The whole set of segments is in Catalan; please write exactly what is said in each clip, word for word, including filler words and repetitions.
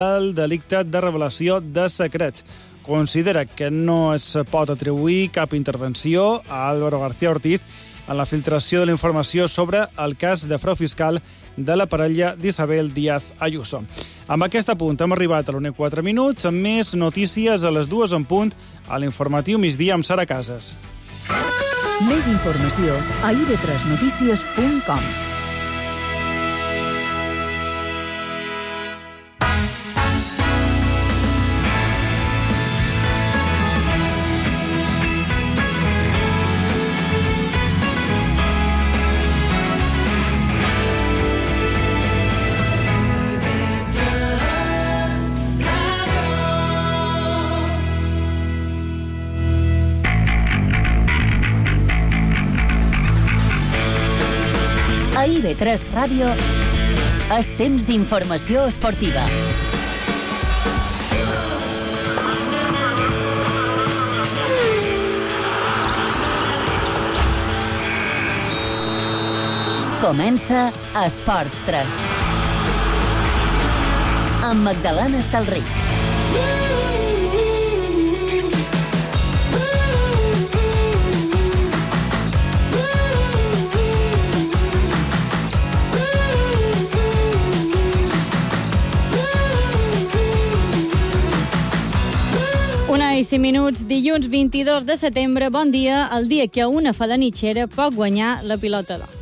el delicte de revelació de secrets. Considera que no es pot atribuir cap intervenció a Álvaro García Ortiz en la filtració de la informació sobre el cas de frau fiscal de la parella d'Isabel Díaz Ayuso. Amb aquest apunt hem arribat a l'una i quatre minuts, amb més notícies a les dues en punt a l'informatiu migdia amb Sara Casas. Més informació a i ve tres notícies punt com. A i ve tres Ràdio, és temps d'informació esportiva. Comença Esports tres. Amb Magdalena Estalric. Una i cinc minuts, dilluns vint-i-dos de setembre, bon dia, el dia que una falanitxera pot guanyar la pilota d'or.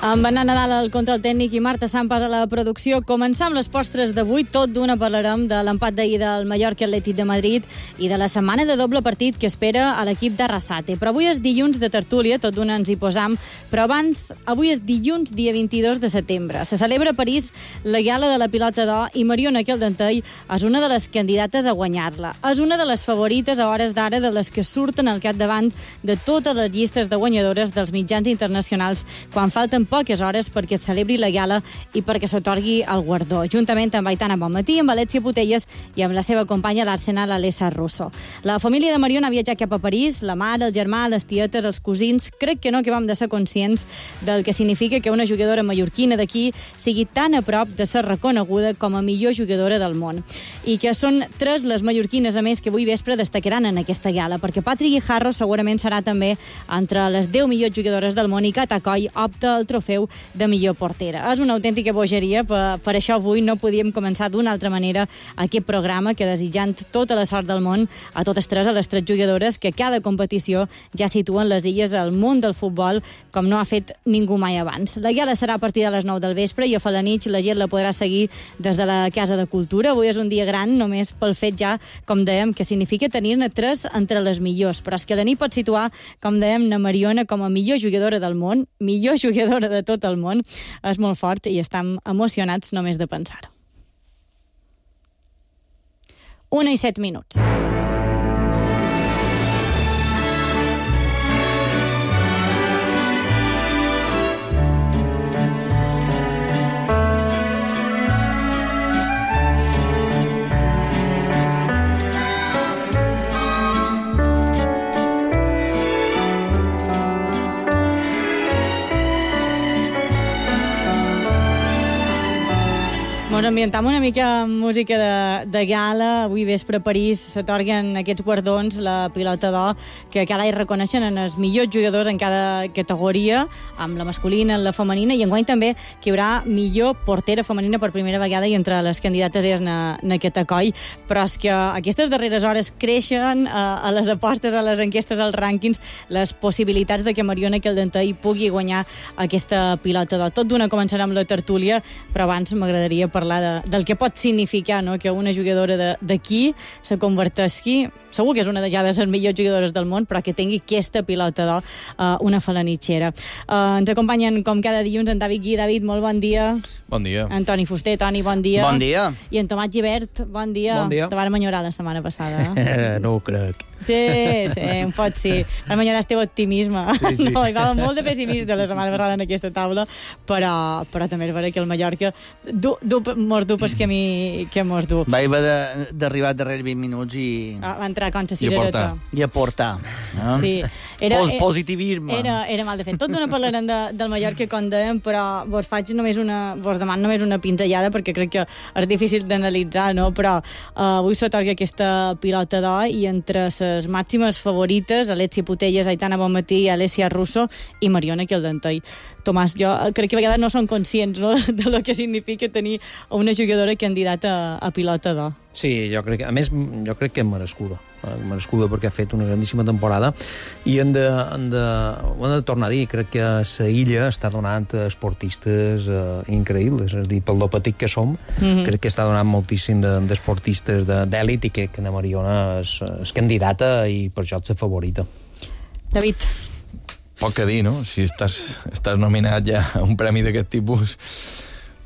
Amb Anna Nadal al control tècnic i Marta Sampas a la producció, començam amb les postres d'avui. Tot d'una parlarem de l'empat d'ahir del Mallorca Atlètic de Madrid i de la setmana de doble partit que espera a l'equip d'Arrasate. Però avui és dilluns de tertúlia, tot d'una ens hi posam. Però abans, avui és dilluns, dia vint-i-dos de setembre. Se celebra a París la gala de la pilota d'or i Mariona Caldentei és una de les candidates a guanyar-la. És una de les favorites a hores d'ara de les que surten al capdavant de totes les llistes de guanyadores dels mitjans internacionals quan falten poques hores perquè es celebri la gala i perquè s'atorgui el guardó, juntament amb Aitana Bonmatí, amb Alessia Putelles i amb la seva companya a l'Arsenal, Alessa Russo. La família de Mariona ha viatjat cap a París, la mare, el germà, les tietes, els cosins. Crec que no que vam de ser conscients del que significa que una jugadora mallorquina d'aquí sigui tan a prop de ser reconeguda com a millor jugadora del món. I que són tres les mallorquines, a més, que avui vespre destacaran en aquesta gala, perquè Patri Guijarro segurament serà també entre les deu millors jugadores del món i Cata Coll opta al trofeu de millor portera. És una autèntica bogeria, per, per això avui no podíem començar d'una altra manera aquest programa que desitjant tota la sort del món a totes tres, a les tres jugadores que cada competició ja situen les illes al món del futbol com no ha fet ningú mai abans. La gala serà a partir de les nou del vespre i a Falanich la gent la podrà seguir des de la Casa de Cultura. Avui és un dia gran només pel fet ja, com dèiem, que significa tenir-ne tres entre les millors, però és que la nit pot situar, com dèiem, na Mariona com a millor jugadora del món, millor jugadora de tot el món. És molt fort i estem emocionats només de pensar-ho. Una i set minuts. Ens ambientam una mica amb música de, de gala. Avui vespre a París s'atorguen aquests guardons, la pilota d'or, que cada any reconeixen en els millors jugadors en cada categoria, amb la masculina, la femenina, i enguany també que hi haurà millor portera femenina per primera vegada i entre les candidates és na, na Cata Coll. Però és que aquestes darreres hores creixen a, a les apostes, a les enquestes, als rànquings, les possibilitats de que Mariona Caldentei pugui guanyar aquesta pilota d'or. Tot d'una començarà amb la tertúlia, però abans m'agradaria parlar De, del que pot significar, no?, que una jugadora d'aquí se converteixi, segur que és una de ja de les millors jugadores del món, però que tingui aquesta pilota d'or, uh, una falanitxera. Uh, ens acompanyen, com cada dilluns, en David Gui. David, molt bon dia. Bon dia. Antoni Fuster, Toni, bon dia. Bon dia. I en Tomàs Gibert, bon dia. Bon dia. Te vàrem enyorar la setmana passada. Eh? No ho crec. Sí, sí, un pot sí. Per millorar el teu optimisme. Sí, sí. No, hi va molt de pessimista la setmana passada en aquesta taula, però, però també és vera que el Mallorca du, du, mos du pel camí que mos du. Va haver d'arribar darrere vint minuts i... Ah, va entrar contra cirereta. I aportar. No? Sí. Era, Pos, positivisme. Era, era mal de fet. Tot d'una parlarem de, del Mallorca, com dèiem, però vos faig només una... Vos demano només una pinzellada, perquè crec que és difícil d'analitzar, no? Però uh, avui s'atorga aquesta pilota d'or i entre les màximes favorites, Alessia Putellas, Aitana Bonmatí, Alessia Russo i Mariona Caldentei. Tomàs, jo crec que a vegades no són conscients, no?, de lo que significa tenir una jugadora candidata a, a pilota d'or. Sí, jo crec que, a més, jo crec que és merescuda. merescuda perquè ha fet una grandíssima temporada i hem de, hem de, ho hem de tornar a dir, crec que la illa està donant esportistes eh, increïbles, és a dir, pel lo petit que som, mm-hmm. crec que està donant moltíssim d'esportistes de, d'èlit i que, que la Mariona és, és candidata i per això és la favorita. David. Poc que dir, no? Si estàs, estàs nominat ja a un premi d'aquest tipus,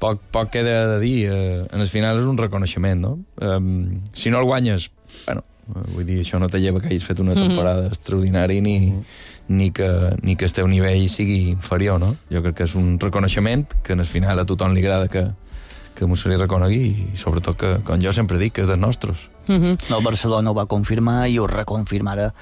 poc, poc queda de dir. Eh, en el final és un reconeixement, no? Eh, si no el guanyes, bueno, vull dir, això no te lleva que hagis fet una temporada mm-hmm. extraordinària ni, ni, que, ni que el teu nivell sigui inferior, no? Jo crec que és un reconeixement que en el final a tothom li agrada que, que m'ho se li reconegui i sobretot que, com jo sempre dic, que és dels nostres. Mm-hmm. El Barcelona ho va confirmar i ho reconfirmarà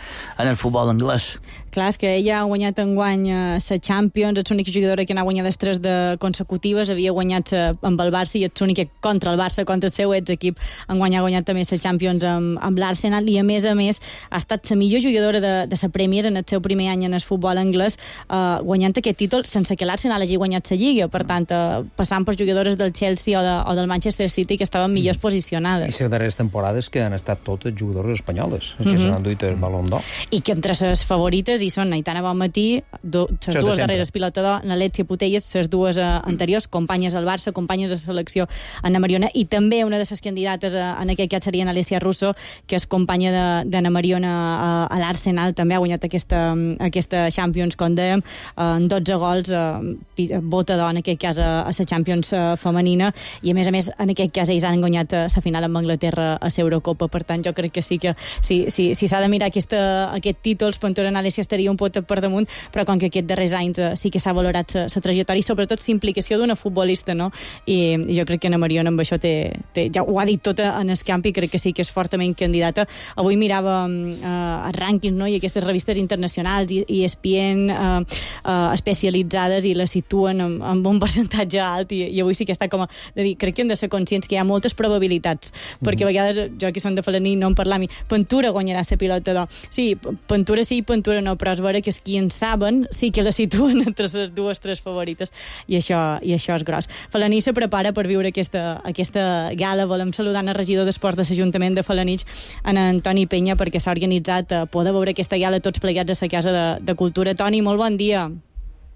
en el futbol anglès. Clar, és que ella ha guanyat enguany la Champions, és l'única jugadora que n'ha guanyat tres de consecutives, havia guanyat amb el Barça i és l'única contra el Barça, contra el seu ex-equip, enguany ha guanyat també la Champions amb, amb l'Arsenal i a més a més ha estat la millor jugadora de, de la Premier en el seu primer any en el futbol anglès, eh, guanyant aquest títol sense que l'Arsenal hagi guanyat la Lliga, per tant, eh, passant per jugadores del Chelsea o, de, o del Manchester City que estaven millors posicionades. I les darreres temporades que han estat totes jugadores espanyoles, que mm-hmm. se n'han duit el Ballon d'Or. I que entre les favorites hi són Aitana Bonmatí, les dues darreres pilota d'or, Alessia Putellas, les dues uh, anteriors, companyes al Barça, companyes de selecció Ana Mariona, i també una de les candidates uh, en aquest cas seria Alessia Russo, que és companya d'Anna Mariona uh, a l'Arsenal, també ha guanyat aquesta, aquesta Champions, com dèiem, uh, en dotze gols, uh, bota d'or en aquest cas a, a la Champions uh, femenina, i a més a més en aquest cas ells han guanyat la final amb Anglaterra a l'Eurocopa, per tant jo crec que sí que si s'ha si, si de mirar aquesta, aquest títol, Pantora Alessia estaria un pot per damunt, però com que aquests darrers anys uh, sí que s'ha valorat la trajectòria i sobretot la implicació d'una futbolista, no? I, i jo crec que Ana Mariona amb això té, té, ja ho ha dit tot en el camp i crec que sí que és fortament candidata. Avui mirava uh, els rànquings, no?, i aquestes revistes internacionals i, i E S P N uh, uh, especialitzades i la situen amb, amb un percentatge alt i, i avui sí que està com a de dir, crec que hem de ser conscients que hi ha moltes probabilitats, mm-hmm. perquè a vegades jo que són de Falaní no en parlam, Pantura guanyarà la pilota d'or. Sí, Pantura sí, Pantura no, però és vera que els qui en saben sí que la situen entre les dues, tres favorites i això, i això és gros. Falaní se prepara per viure aquesta, aquesta gala. Volem saludar el regidor d'Esports de l'Ajuntament de Falanich, en Antoni Penya, perquè s'ha organitzat a poder veure aquesta gala tots plegats a la Casa de, de Cultura. Toni, molt bon dia.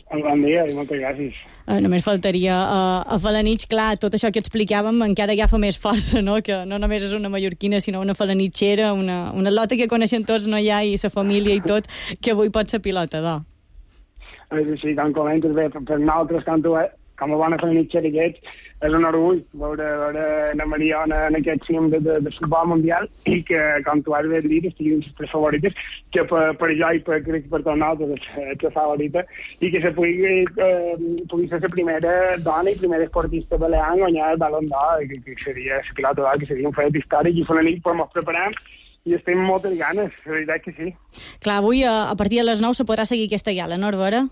Bon dia i moltes gràcies. Uh, només faltaria uh, a Falanich, clar, tot això que explicàvem encara agafa més força, no?, que no només és una mallorquina, sinó una falanitxera, una, una lota que coneixen tots, no hi ha, i sa família i tot, que avui pot ser pilota d'or. Sí, com comentes bé, per nosaltres, com, tu, com a bona falanitxera que ets, és un orgull veure, veure la Mariona en aquest cim de, de, de futbol mundial i que, com tu has de dir, estiguin les tres favorites, que per, per jo i per, crec que per tots nosaltres és la favorita, i que se pugui, eh, pugui ser la primera dona i primera esportista balear en guanyar el Ballon d'Or, que, que seria la pilota d'or, que seria un fet històric, i fa una nit per ens preparar i estem amb moltes ganes, la veritat que sí. Clar, avui a, a partir de les nou se podrà seguir aquesta gala, no, Arbora?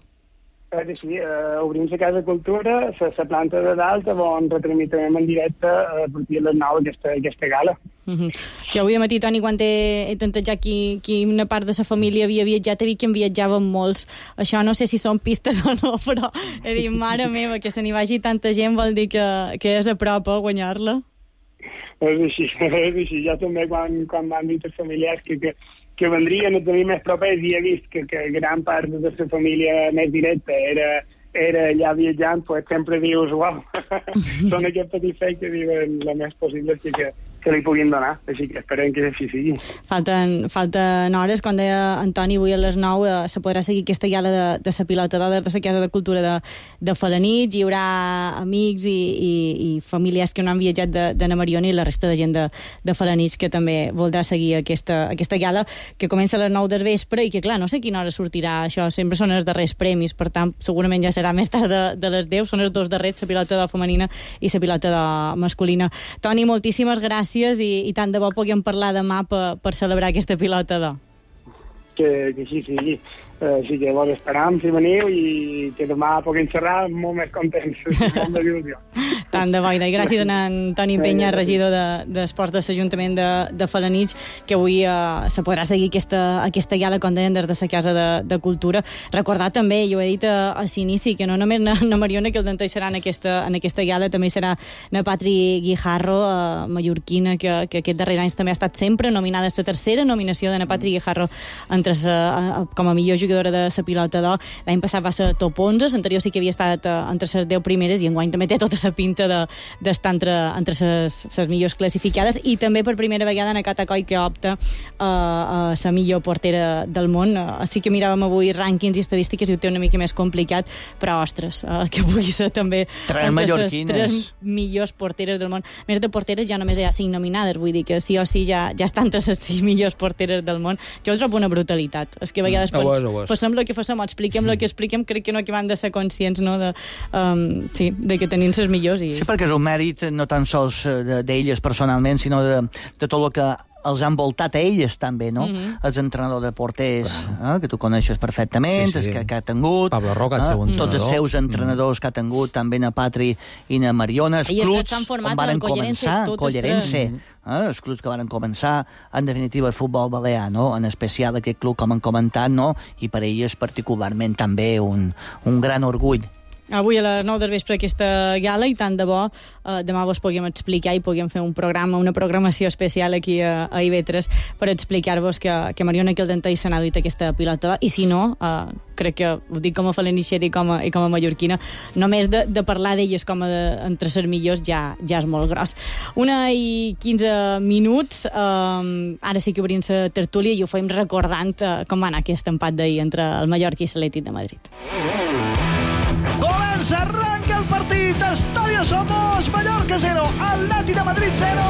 Eh, sí, eh, obrim la Casa de Cultura, la planta de dalt, on retransmitem en directe eh, a partir de les nou aquesta, aquesta gala. Uh-huh. Jo avui de matí, Toni, quan he, he tentat qui, qui una part de la família havia viatjat, he dit que en viatjaven molts. Això no sé si són pistes o no, però he dit, mare meva, que se n'hi vagi tanta gent vol dir que, que és a prop a guanyar-la. És així, és així. Jo també, quan, quan m'han dit els familiars que, que, que vendrien a tenir més propers, i he vist que, que gran part de la família més directa era, era allà viatjant, pues sempre dius, uau, són aquests petits fets que diuen el més possible que, que, se li puguin donar, així que esperem que així sigui. Falten, falten hores, quan deia Antoni, avui a les nou eh, se podrà seguir aquesta gala de, de la pilota d'Oder, de la Casa de Cultura de, de Felanitx, hi haurà amics i, i, i familiars que no han viatjat de, de na Mariona i la resta de gent de, de Felanitx que també voldrà seguir aquesta, aquesta gala que comença a les nou del vespre i que, clar, no sé a quina hora sortirà això, sempre són els darrers premis, per tant, segurament ja serà més tard de, de les deu, són els dos darrers, la pilota de femenina i la pilota de masculina. Toni, moltíssimes gràcies i, i tant de bo puguem parlar demà per, per celebrar aquesta pilota d'or. Que, que així sigui. Uh, sí que vos esperam si veniu i que demà puguem xerrar molt més contents, molt d'il·lusió. Tant de bo, i gràcies a en Toni Penya, regidor d'Esports de, de l'Ajuntament de, de Felanitx, que avui eh, se podrà seguir aquesta, aquesta gala, com deien, des de la Casa de, de Cultura. Recordar també, jo he dit a, a l'inici, que no només na, na Mariona que el denteixerà en aquesta, en aquesta gala, també serà na Patri Guijarro, eh, mallorquina, que, que aquest darrer any també ha estat sempre nominada a la tercera nominació de na Patri Guijarro entre sa, com a millor jugadora de la pilota d'or. L'any passat va ser top onze, l'anterior sí que havia estat uh, entre les deu primeres i enguany també té tota la pinta d'estar de, entre les millors classificades i també per primera vegada en Cata Coll que opta uh, a la millor portera del món. Uh, sí que miràvem avui rànquings i estadístiques i ho té una mica més complicat, però ostres, uh, que pugui ser també tres mallorquines, tres millors porteres del món. A més de porteres ja només hi ha cinc nominades, vull dir que sí o sí ja, ja estan entre les sis millors porteres del món. Jo ho trobo una brutalitat. És que a vegades mm, pots, oh, oh, oh. passem el que passem, expliquem el que expliquem, crec que no acabem de ser conscients, no, de, um, sí, de que tenim les millors. I... Sí, perquè és un mèrit no tan sols d'elles personalment, sinó de, de tot el que els han voltat a elles també, no? Mm-hmm. Els entrenadors de porters, eh, que tu coneixes perfectament, sí, sí. Que, que ha tingut... Pablo Roca, el seu eh, entrenador. Tots els seus entrenadors mm. que ha tingut, també na Patri i na Mariona, els clubs on van començar, Collerense, eh, els clubs que van començar, en definitiva, el futbol balear, no? En especial aquest club, com han comentat, no? I per elles particularment també un, un gran orgull. Avui a les nou del vespre aquesta gala i tant de bo eh, demà vos puguem explicar i puguem fer un programa, una programació especial aquí a, a I V tres per explicar-vos que, que Mariona Quildentei se n'ha duit aquesta pilota i si no, eh, crec que ho dic com a felanitxera i com a, i com a mallorquina, només de, de parlar d'elles com a de, entre ser millors ja, ja és molt gros. Una i quinze minuts, eh, ara sí que obrim la tertúlia i ho fem recordant eh, com va anar aquest empat d'ahir entre el Mallorca i l'Atlètic de Madrid. Comença, arranca el partit, Estadio Somos, Mallorca cero, Atlètic de Madrid cero.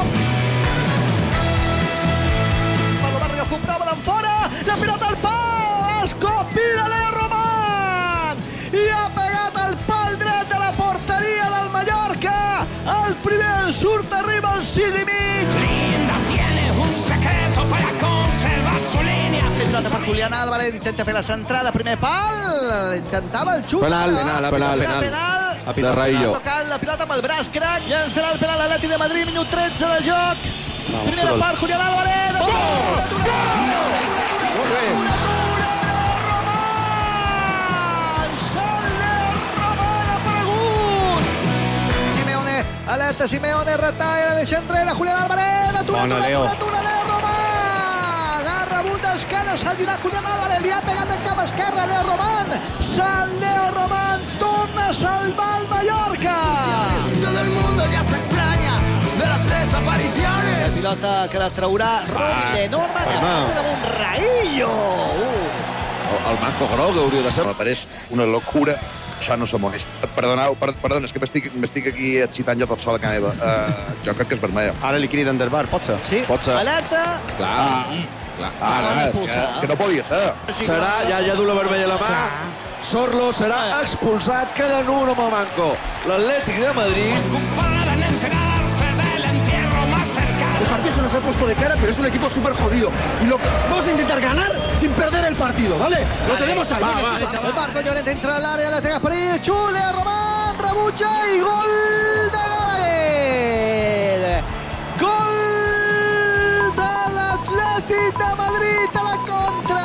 Pablo Barrio comprova d'en fora, la pilota al pal, escopida Leo Román, i ha pegat el pal dret de la porteria del Mallorca, el primer surt, arriba al sis i mig. Linda tiene un secreto para conservar su línea. Pilota per Julián Álvarez, intenta fer la centrada, primer pal, intentava el xut. Penal, penal, penal, penal. penal. De Raillo. Ha tocat la pilota amb el braç crac, llançarà el penal Atlètic de Madrid, minut tretze de joc. No, primera però... part, Julián Álvarez. Gol! Gol! Molt bé. Alerta Simeone, retalla, deixa enrere Julián Álvarez, atura, Bona, atura, Leo. atura, atura, Leo Román, ha rebut d'esquena, s'ha girat Julián Álvarez, li ha pegat en cap esquerra Leo Román, San Leo Román torna a salvar el Mallorca. Todo el mundo ya se extraña de las desapariciones. La pilota que la traurà Robin de Norman, amb un Raillo. Uh. El manco groc hauria de ser. Me pareix una locura. Això no se molesta. Perdoneu, per, perdona, és que m'estic aquí excitant jo tot sol a casa meva. Uh, jo crec que és vermella. Ara li criden del bar, pot ser? Sí, pot ser. Alerta. Clar, ah, clar. Ara, ah, és que, que no podia ser. Serà, ja, ja du la vermella a la mà. Sorlo serà expulsat, queda en un home manco. L'Atlètic de Madrid. Comparan enterarse del entierro más cercano. El partido se nos ha puesto de cara, pero es un equipo súper jodido. Y lo que... vamos a intentar ganar sin perder el partido, ¿vale? Lo vale. tenemos ahí. Va, va, va. El Marco Llorente entra al área, la pega por ahí, Chule, Román, rebutja i gol de Gallagher. Gol de l'Atlètic de Madrid a la contra.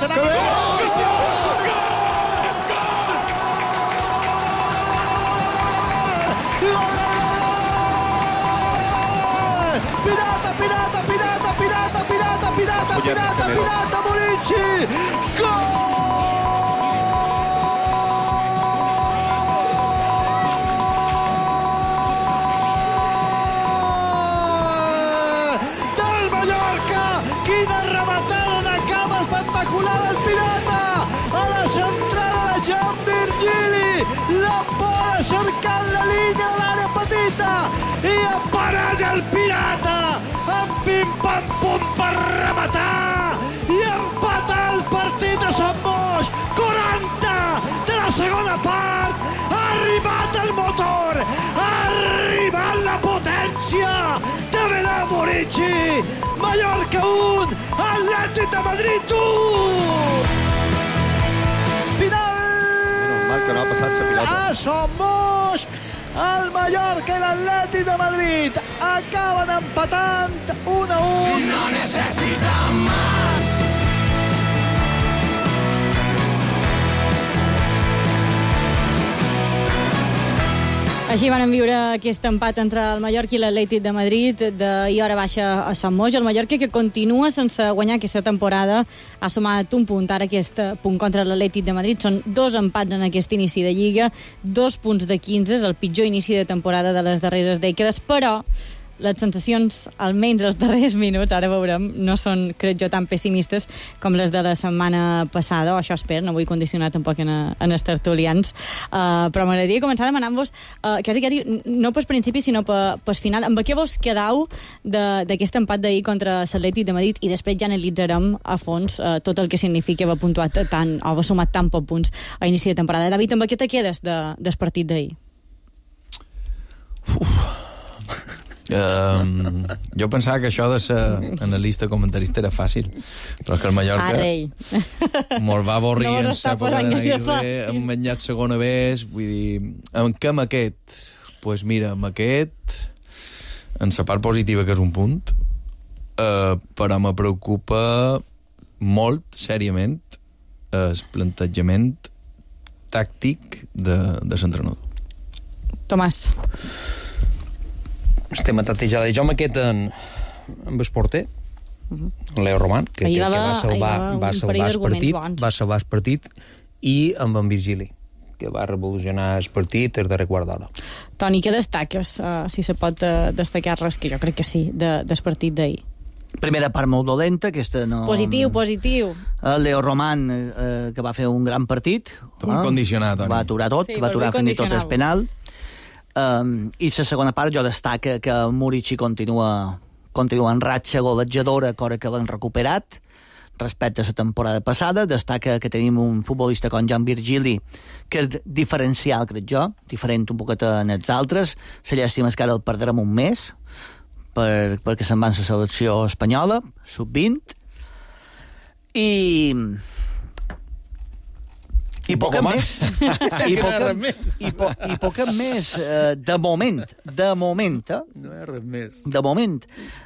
Pirata, pirata, pirata, pirata, pirata, pirata, pirata, pirata, Bonucci! Gol! Murici. Mallorca un, Atlètic de Madrid un. Final. Normal que no ha passat la pilota. A Somos, el Mallorca i l'Atlètic de Madrid acaben empatant un a un. No necesitan más. Així van viure aquest empat entre el Mallorca i l'Atlètic de Madrid d'ahir hora baixa a Sant Moix. El Mallorca, que continua sense guanyar aquesta temporada, ha sumat un punt. Ara aquest punt contra l'Atlètic de Madrid són dos empats en aquest inici de Lliga, dos punts de quinze, és el pitjor inici de temporada de les darreres dècades, però les sensacions, almenys els darrers minuts, ara veurem, no són, crec jo, tan pessimistes com les de la setmana passada, o això espero, no vull condicionar tampoc en, en els tertulians, uh, però m'agradaria començar demanant-vos, uh, quasi, quasi, no pels principis, sinó pels final, amb què vos quedau d'aquest empat d'ahir contra l'Atlètic de Madrid, i després ja analitzarem a fons uh, tot el que significa haver puntuat tant, o haver sumat tant pocs punts a inici de temporada. David, amb què te quedes de, del partit d'ahir? Uf... Um, jo pensava que això de ser analista comentarista era fàcil, però és que el Mallorca ah, molt va avorrir no en l'època de Naguirre, hem menjat segona vez, vull dir, en què amb aquest? Doncs pues mira, amb aquest en la part positiva, que és un punt, uh, però me preocupa molt, seriament, el plantejament tàctic de, de l'entrenador. Tomàs. Estem a tatejada. Jo amb aquest en, amb el porter, uh-huh. Leo Roman, que, que, que va salvar, va salvar el partit, bons. va salvar el partit, i amb en Virgili, que va revolucionar el partit el darrer quart d'hora. Toni, què destaques, uh, si se pot uh, destacar res, que jo crec que sí, de, del partit d'ahir? Primera part molt dolenta, aquesta no... Positiu, positiu. El Leo Roman, eh, que va fer un gran partit. Tot eh? condicionat, Toni. Va aturar tot, sí, va aturar fins i tot el penal. Um, I la segona part jo destaca que Murici continua, continua en ratxa golejadora, cosa que l'han recuperat respecte a la temporada passada. Destaca que tenim un futbolista com Joan Virgili, que és diferencial, crec jo, diferent un poquet en els altres. La llàstima és que ara el perdrem un mes, per, perquè se'n va a la selecció espanyola, sub vint, i... I poc més. I poc i, po, i poc més. Uh, de moment, de moment, eh? No hi ha res més. De moment,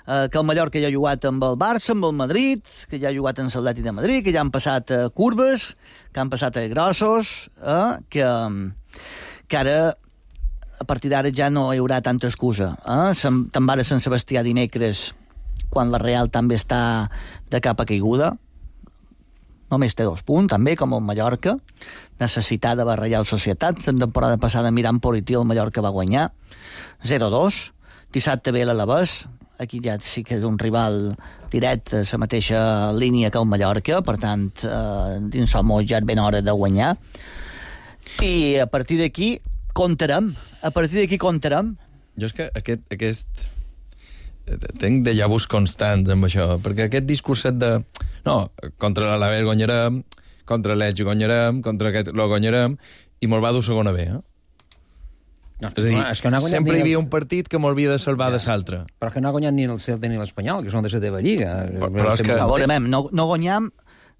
uh, que el Mallorca ja ha jugat amb el Barça, amb el Madrid, que ja ha jugat amb l'Atlètic de Madrid, que ja han passat uh, curves, que han passat uh, grossos, uh, que, que ara, a partir d'ara, ja no hi haurà tanta excusa. Eh? Te'n va a Sant Sebastià dimecres, quan la Real també està de capa caiguda. Només té dos punts, també, com el Mallorca, necessitada de la Reial Societat. La temporada passada, mirant Polití, el Mallorca va guanyar zero dos. Dissabte ve l'Alavés, aquí ja sí que és un rival directe, la mateixa línia que el Mallorca, per tant, eh, dins el Moix ja és ben hora de guanyar. I a partir d'aquí comptarem, a partir d'aquí comptarem. Jo és que aquest... aquest... tenc déjà vus constants amb això, perquè aquest discurset de no, contra l'Alavés guanyarem, contra l'Elx guanyarem, contra aquest lo guanyarem, i me'l va dur segona B, eh? No, és a dir, no, és que no sempre hi havia els... un partit que m'havia de salvar ja. de l'altre. Però que no ha guanyat ni el Celta ni l'Espanyol, que són de la teva lliga. Però, però és que... Veurem, no, no guanyam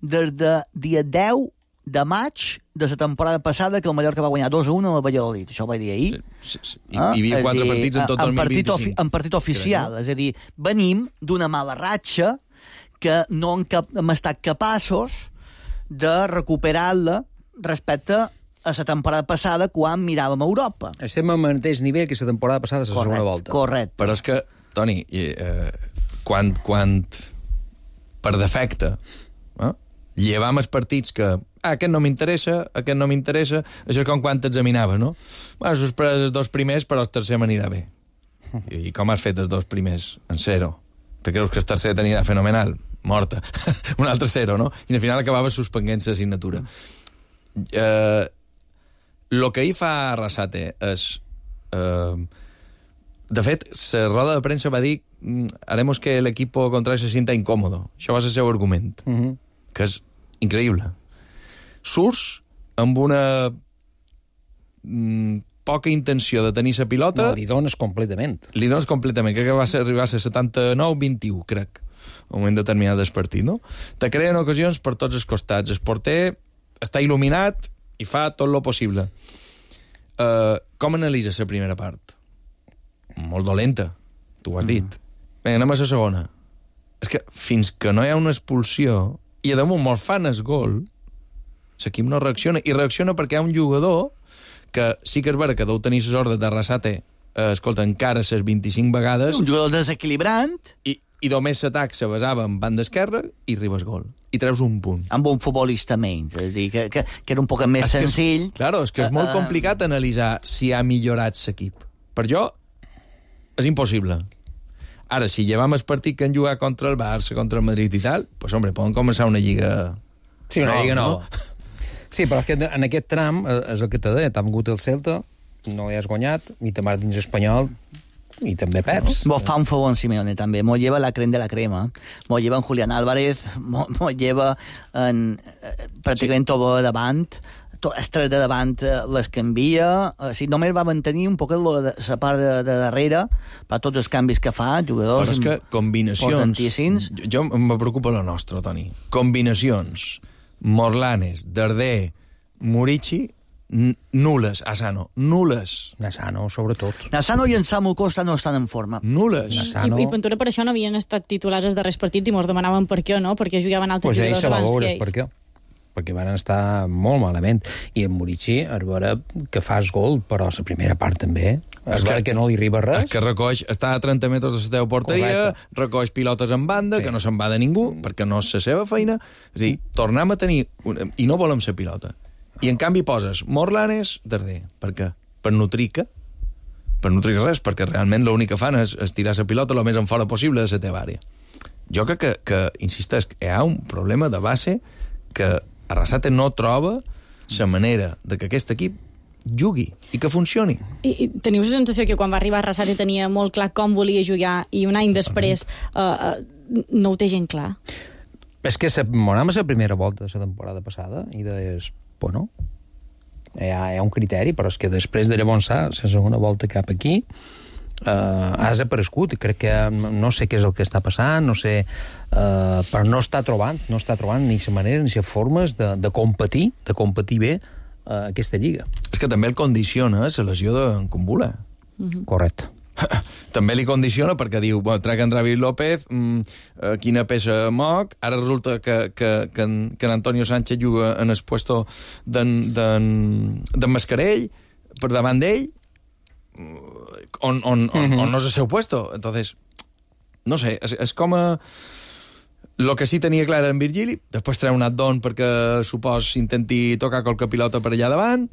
des de dia deu de maig de la temporada passada, que el Mallorca va guanyar dos a un a la Valladolid. Això ho vaig dir ahir. Sí, sí, sí. I, ah, hi havia quatre dir, partits en tot el dos mil vint-i-cinc. En partit oficial. Crec, no? És a dir, venim d'una mala ratxa que no hem, cap, hem estat capaços de recuperar-la respecte a la temporada passada, quan miràvem a Europa. Estem al mateix nivell que la temporada passada, la segona volta. Correcte. Però és que, Toni, eh, quan, quan per defecte eh, llevam els partits que ah, aquest no m'interessa, aquest no m'interessa, això és com quan t'examinaves, no? Bueno, sus els dos primers, però el tercer m'anirà bé. I, I com has fet els dos primers? En zero. Te creus que el tercer t'anirà fenomenal? Morta. Un altre zero, no? I al final acabava suspenent l'assignatura. Eh, lo que hi fa Arrasate és... Eh, de fet, la roda de premsa va dir haremos que el equipo contrario se sienta incómodo. Això va ser el seu argument. Uh-huh. Que és increïble. Surts amb una mm, poca intenció de tenir la pilota... No, li dones completament. Li dones completament, crec que va ser, arribar a ser setanta-nou vint i u, crec, un moment determinat del partit, no? Te creen ocasions per tots els costats. El porter està il·luminat i fa tot lo possible. Uh, com analitzes la primera part? Molt dolenta, tu ho has dit. Mm. Vinga, anem a la segona. És que fins que no hi ha una expulsió i a damunt molt fan el gol, l'equip no reacciona. I reacciona perquè hi ha un jugador que sí que és vera que deu tenir les ordres de Arrasate, eh, escolta, encara les vint-i-cinc vegades... Un jugador desequilibrant... I, i només l'atac se basava en banda esquerra i arribes gol. I treus un punt. Amb un futbolista menys. És a dir, que, que, que era un poc més és senzill... Que, claro, és que és molt uh, complicat analitzar si ha millorat l'equip. Per jo, és impossible. Ara, si llevam el partit que han jugat contra el Barça, contra el Madrid i tal, pues, hombre, poden començar una lliga... Sí, una no, lliga nova. No? Sí, però és que en aquest tram, és el que t'ha dit, t'ha vingut el Celta, no li has guanyat, i te mar dins espanyol, i també perds. Vos fa un favor en Simeone, també. Mos lleva la crema de la crema. Mos lleva en Julián Álvarez, mos, mos lleva en eh, pràcticament sí. Tot davant, tot, els tres de davant les canvia, o sigui, només va mantenir un poc la part de, de darrere per tots els canvis que fa, jugadors... Però és que combinacions... Jo, jo em preocupa la nostra, Toni. Combinacions... Morlanes, Darder, Murici, nules, Asano, nules. Nassano, sobretot. Nassano i en Samu Costa no estan en forma. Nules. Nassano... I, I Ventura per això no havien estat titulars els darrers partits i mos demanaven per què, no? Perquè jugaven altres pues jugadors abans veure, que ells. Per què? Perquè van estar molt malament. I en Murici, a veure que fas gol, però la primera part també... És que, que no li arriba res. És que recoix, està a trenta metres de la teva porteria, correcte. Recoix pilotes en banda, sí. Que no se'n va de ningú, perquè no és la seva feina. És a dir, tornem a tenir... Una, I no volem ser pilota. I en canvi poses Morlanes, Darder. Per què? Per nutrir què? Per nutrir res, perquè realment l'únic que fan és, és tirar la pilota el més en fora possible de la teva àrea. Jo crec que, que insisteix, hi ha un problema de base que Arrasate no troba la manera de que aquest equip jugui i que funcioni. I, i teniu la sensació que quan va arribar Arrasate tenia molt clar com volia jugar i un any després uh, uh, no ho té gent clar? És que m'anava la primera volta de la temporada passada i deies, bueno, hi ha, hi ha un criteri, però és que després de llavors la segona volta cap aquí uh, has aparegut. Crec que no sé què és el que està passant, no sé, uh, però no està trobant, no està trobant ni la manera ni les formes de, de competir, de competir bé uh, aquesta lliga. És que també el condiciona la lesió d'en Kumbula. Mm-hmm. Correcte. També li condiciona perquè diu, bueno, trec en David López, mmm, eh, quina peça moc, ara resulta que, que, que, en, que en Antonio Sánchez juga en el puesto d'en, d'en, d'en Mascarell, per davant d'ell, on, on, on, mm-hmm. on no és el seu puesto. Entonces, no sé, és, és com a... Lo que sí tenia clar era en Virgili, després treu un addon perquè, supos, intenti tocar qualque pilota per allà davant,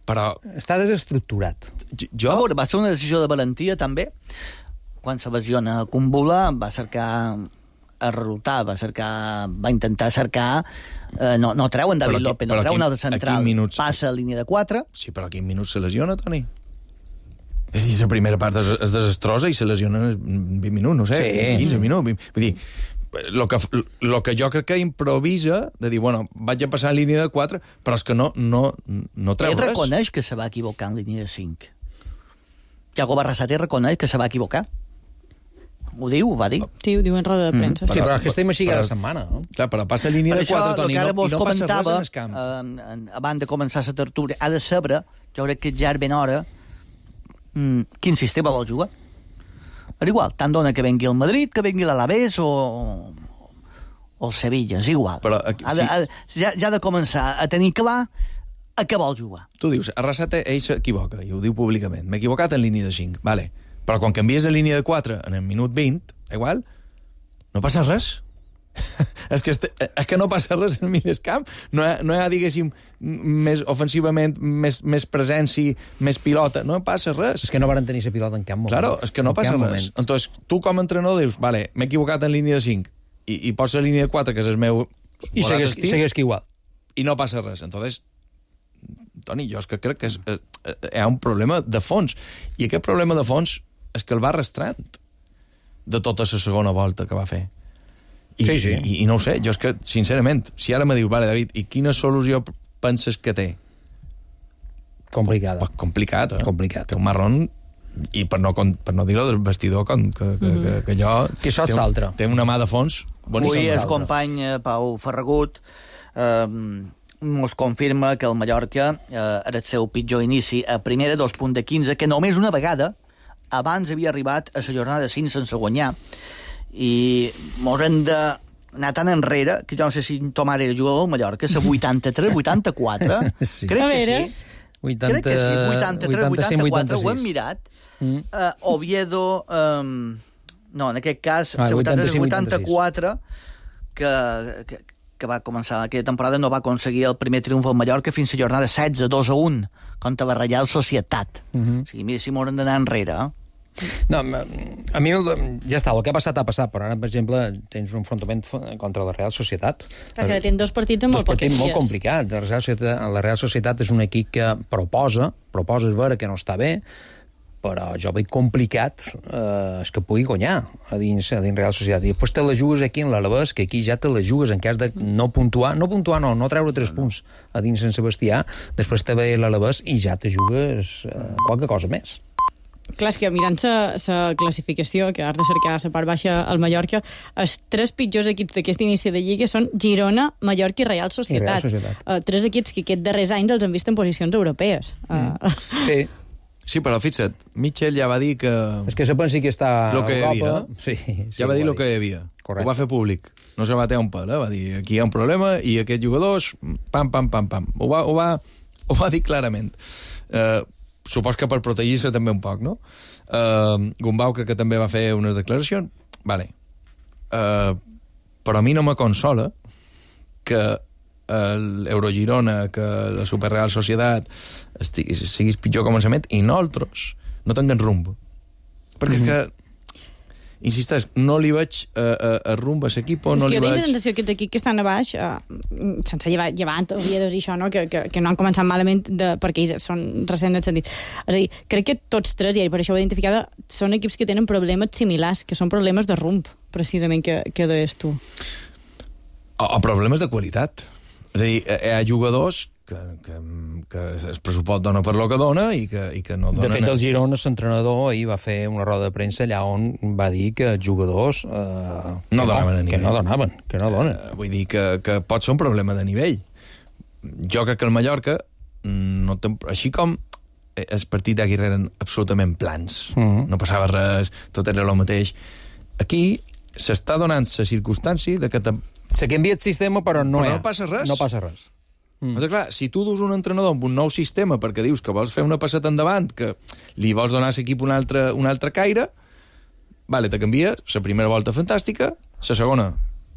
però... Està desestructurat. Jo... Veure, va ser una decisió de valentia, també. Quan se lesiona Kumbula, va cercar el resultat, va cercar... va intentar cercar... Eh, no, no treu en David López, no treu un altre central, minuts... passa a línia de quatre... Sí, però a quin minut se lesiona, Toni? És dir, la primera part és, és desastrosa i se lesiona en vint minuts, no sé, sí. quinze minuts. vint, vull dir, lo que, lo que jo crec que improvisa, de dir, bueno, vaig a passar en línia de quatre, però és que no, no, no treu ell res. Ell reconeix que se va equivocar en línia de cinc. Iago Arrasate reconeix que se va equivocar. Ho diu, ho va dir. Sí, ho diu en roda de premsa. Mm. Sí, però és que estem així cada setmana, no? Clar, però passa a línia de quatre, Toni, no, i no passa res en el camp. Eh, abans de començar la tertúlia, ha de saber, jo crec que ja és ben hora, mm, quin sistema vol jugar. És igual, tant dona que vengui el Madrid, que vengui l'Alavés o, o el Sevilla, és igual. Però, aquí, ha de, sí. ha, ja, ja ha de començar a tenir clar a què vol jugar. Tu dius, Arrasate, ell s'equivoca, i ho diu públicament. M'he equivocat en línia de cinc, vale. Però quan canvies a línia de quatre en el minut vint, igual, no passa res. és, que este, és que no passa res en mig camp. No hi ha, no hi ha diguéssim, més ofensivament, més, més presència, més pilota. No passa res. És que no van tenir la pilota en cap moment. Claro, és que no passa res. Moment. Entonces, tu com a entrenador dius, vale, m'he equivocat en línia de cinc i, i pots la línia de quatre, que és el meu... I segueix, segueix que igual. I no passa res. Entonces, Toni, jo és que crec que és, eh, eh, hi ha un problema de fons. I aquest problema de fons és que el va arrastrant de tota la segona volta que va fer. I, sí, sí. I, i no ho sé, jo és que, sincerament, si ara me diu, vale, David, i quina solució penses que té? Complicada. Poc complicat, eh? Complicat. Té un marrón, i per no, per no dir-ho del vestidor, que, que, mm-hmm. que, que allò... Que això és l'altre. Té una mà de fons boníssima. Avui el company Pau Ferragut eh, mos confirma que el Mallorca eh, era el seu pitjor inici a primera, dos punts de quinze, que només una vegada abans havia arribat a la jornada cinc sense guanyar, i mos hem d'anar tan enrere que jo no sé si Tomàs era jugador del Mallorca, la vuitanta-tres vuitanta-quatre, sí. crec que sí. vuitanta, crec que sí, vuitanta-tres vuitanta-quatre, vuitanta-sis. ho hem mirat. Mm. Uh, Oviedo, um, no, en aquest cas, ah, la vuitanta-tres vuitanta-quatre, que, que, que va començar aquella temporada, no va aconseguir el primer triomf al Mallorca fins a jornada setze, dos a un, contra la Reial Societat. Mm-hmm. O sigui, mira, si m'hauran d'anar enrere, eh? No, a mi ja està, el que ha passat ha passat, però ara, per exemple, tens un enfrontament contra la Real Societat. Clar, que tens dos partits amb molt pocs dies. Dos partits molt complicats. La Real Societat, la Real Societat és un equip que proposa, proposa és vera que no està bé, però jo veig complicat eh, és que pugui guanyar a dins, a dins Real Societat. I després te la jugues aquí en l'Alavés, que aquí ja te la jugues en cas de no puntuar, no puntuar no, no treure tres punts a dins Sant Sebastià, després te ve l'Alavés i ja te jugues eh, qualque cosa més. Clar, és que mirant la classificació, que has de cercar la part baixa al Mallorca, els tres pitjors equips d'aquest inici de Lliga són Girona, Mallorca i Real Societat. I Real Societat. Uh, tres equips que aquests darrers anys els han vist en posicions europees. Mm. Uh. Sí. Sí, però fixa't, Mitchell ja va dir que... És que se pensi que està lo que a Europa. Havia, sí, sí, ja va dir el que hi havia. Correcte. Ho va fer públic. No se va batear un pèl, eh? Va dir, aquí hi ha un problema i aquests jugadors, pam, pam, pam, pam. Ho va, ho va, ho va dir clarament. Eh... Uh, supos que per protegir-se també un poc, no? Uh, Gumbau crec que també va fer unes declaracions. Vale. Uh, però a mi no me consola que l'Eurogirona, que la Superreal Societat estiguis, siguis pitjor començament i nosaltres no tinguem rumb. Perquè mm-hmm. que insisteix, no li veig a, a, a rumb a l'equip, no li veig... Jo tinc la sensació que aquests equips que estan a baix, uh, sense llevar, llevant, Oviedo i això, no? que, que, que no han començat malament de, perquè ells són recents en el sentit. És a dir, crec que tots tres, i per això ho he identificat, són equips que tenen problemes similars, que són problemes de rumb, precisament, que, que deies tu. O, o problemes de qualitat. És a dir, hi ha jugadors que, que, que el pressupost dona per lo que dona i que, i que no donen... De fet, el Girona, l'entrenador, ahir va fer una roda de premsa allà on va dir que els jugadors... Eh, no donaven a nivell. Que no donaven, que no donen. Uh, vull dir que, que pot ser un problema de nivell. Jo crec que el Mallorca, no ten, així com el partit d'Aguirre eren absolutament plans, uh-huh. no passava res, tot era el mateix. Aquí s'està donant la circumstància de que... Te... Se canvia el sistema, però no, però no passa res. No passa res. Mm. Però, clar, si tu dus un entrenador amb un nou sistema perquè dius que vols fer una passeta endavant, que li vols donar a l'equip un altre, un altre caire, vale, te canvia, la primera volta fantàstica, la segona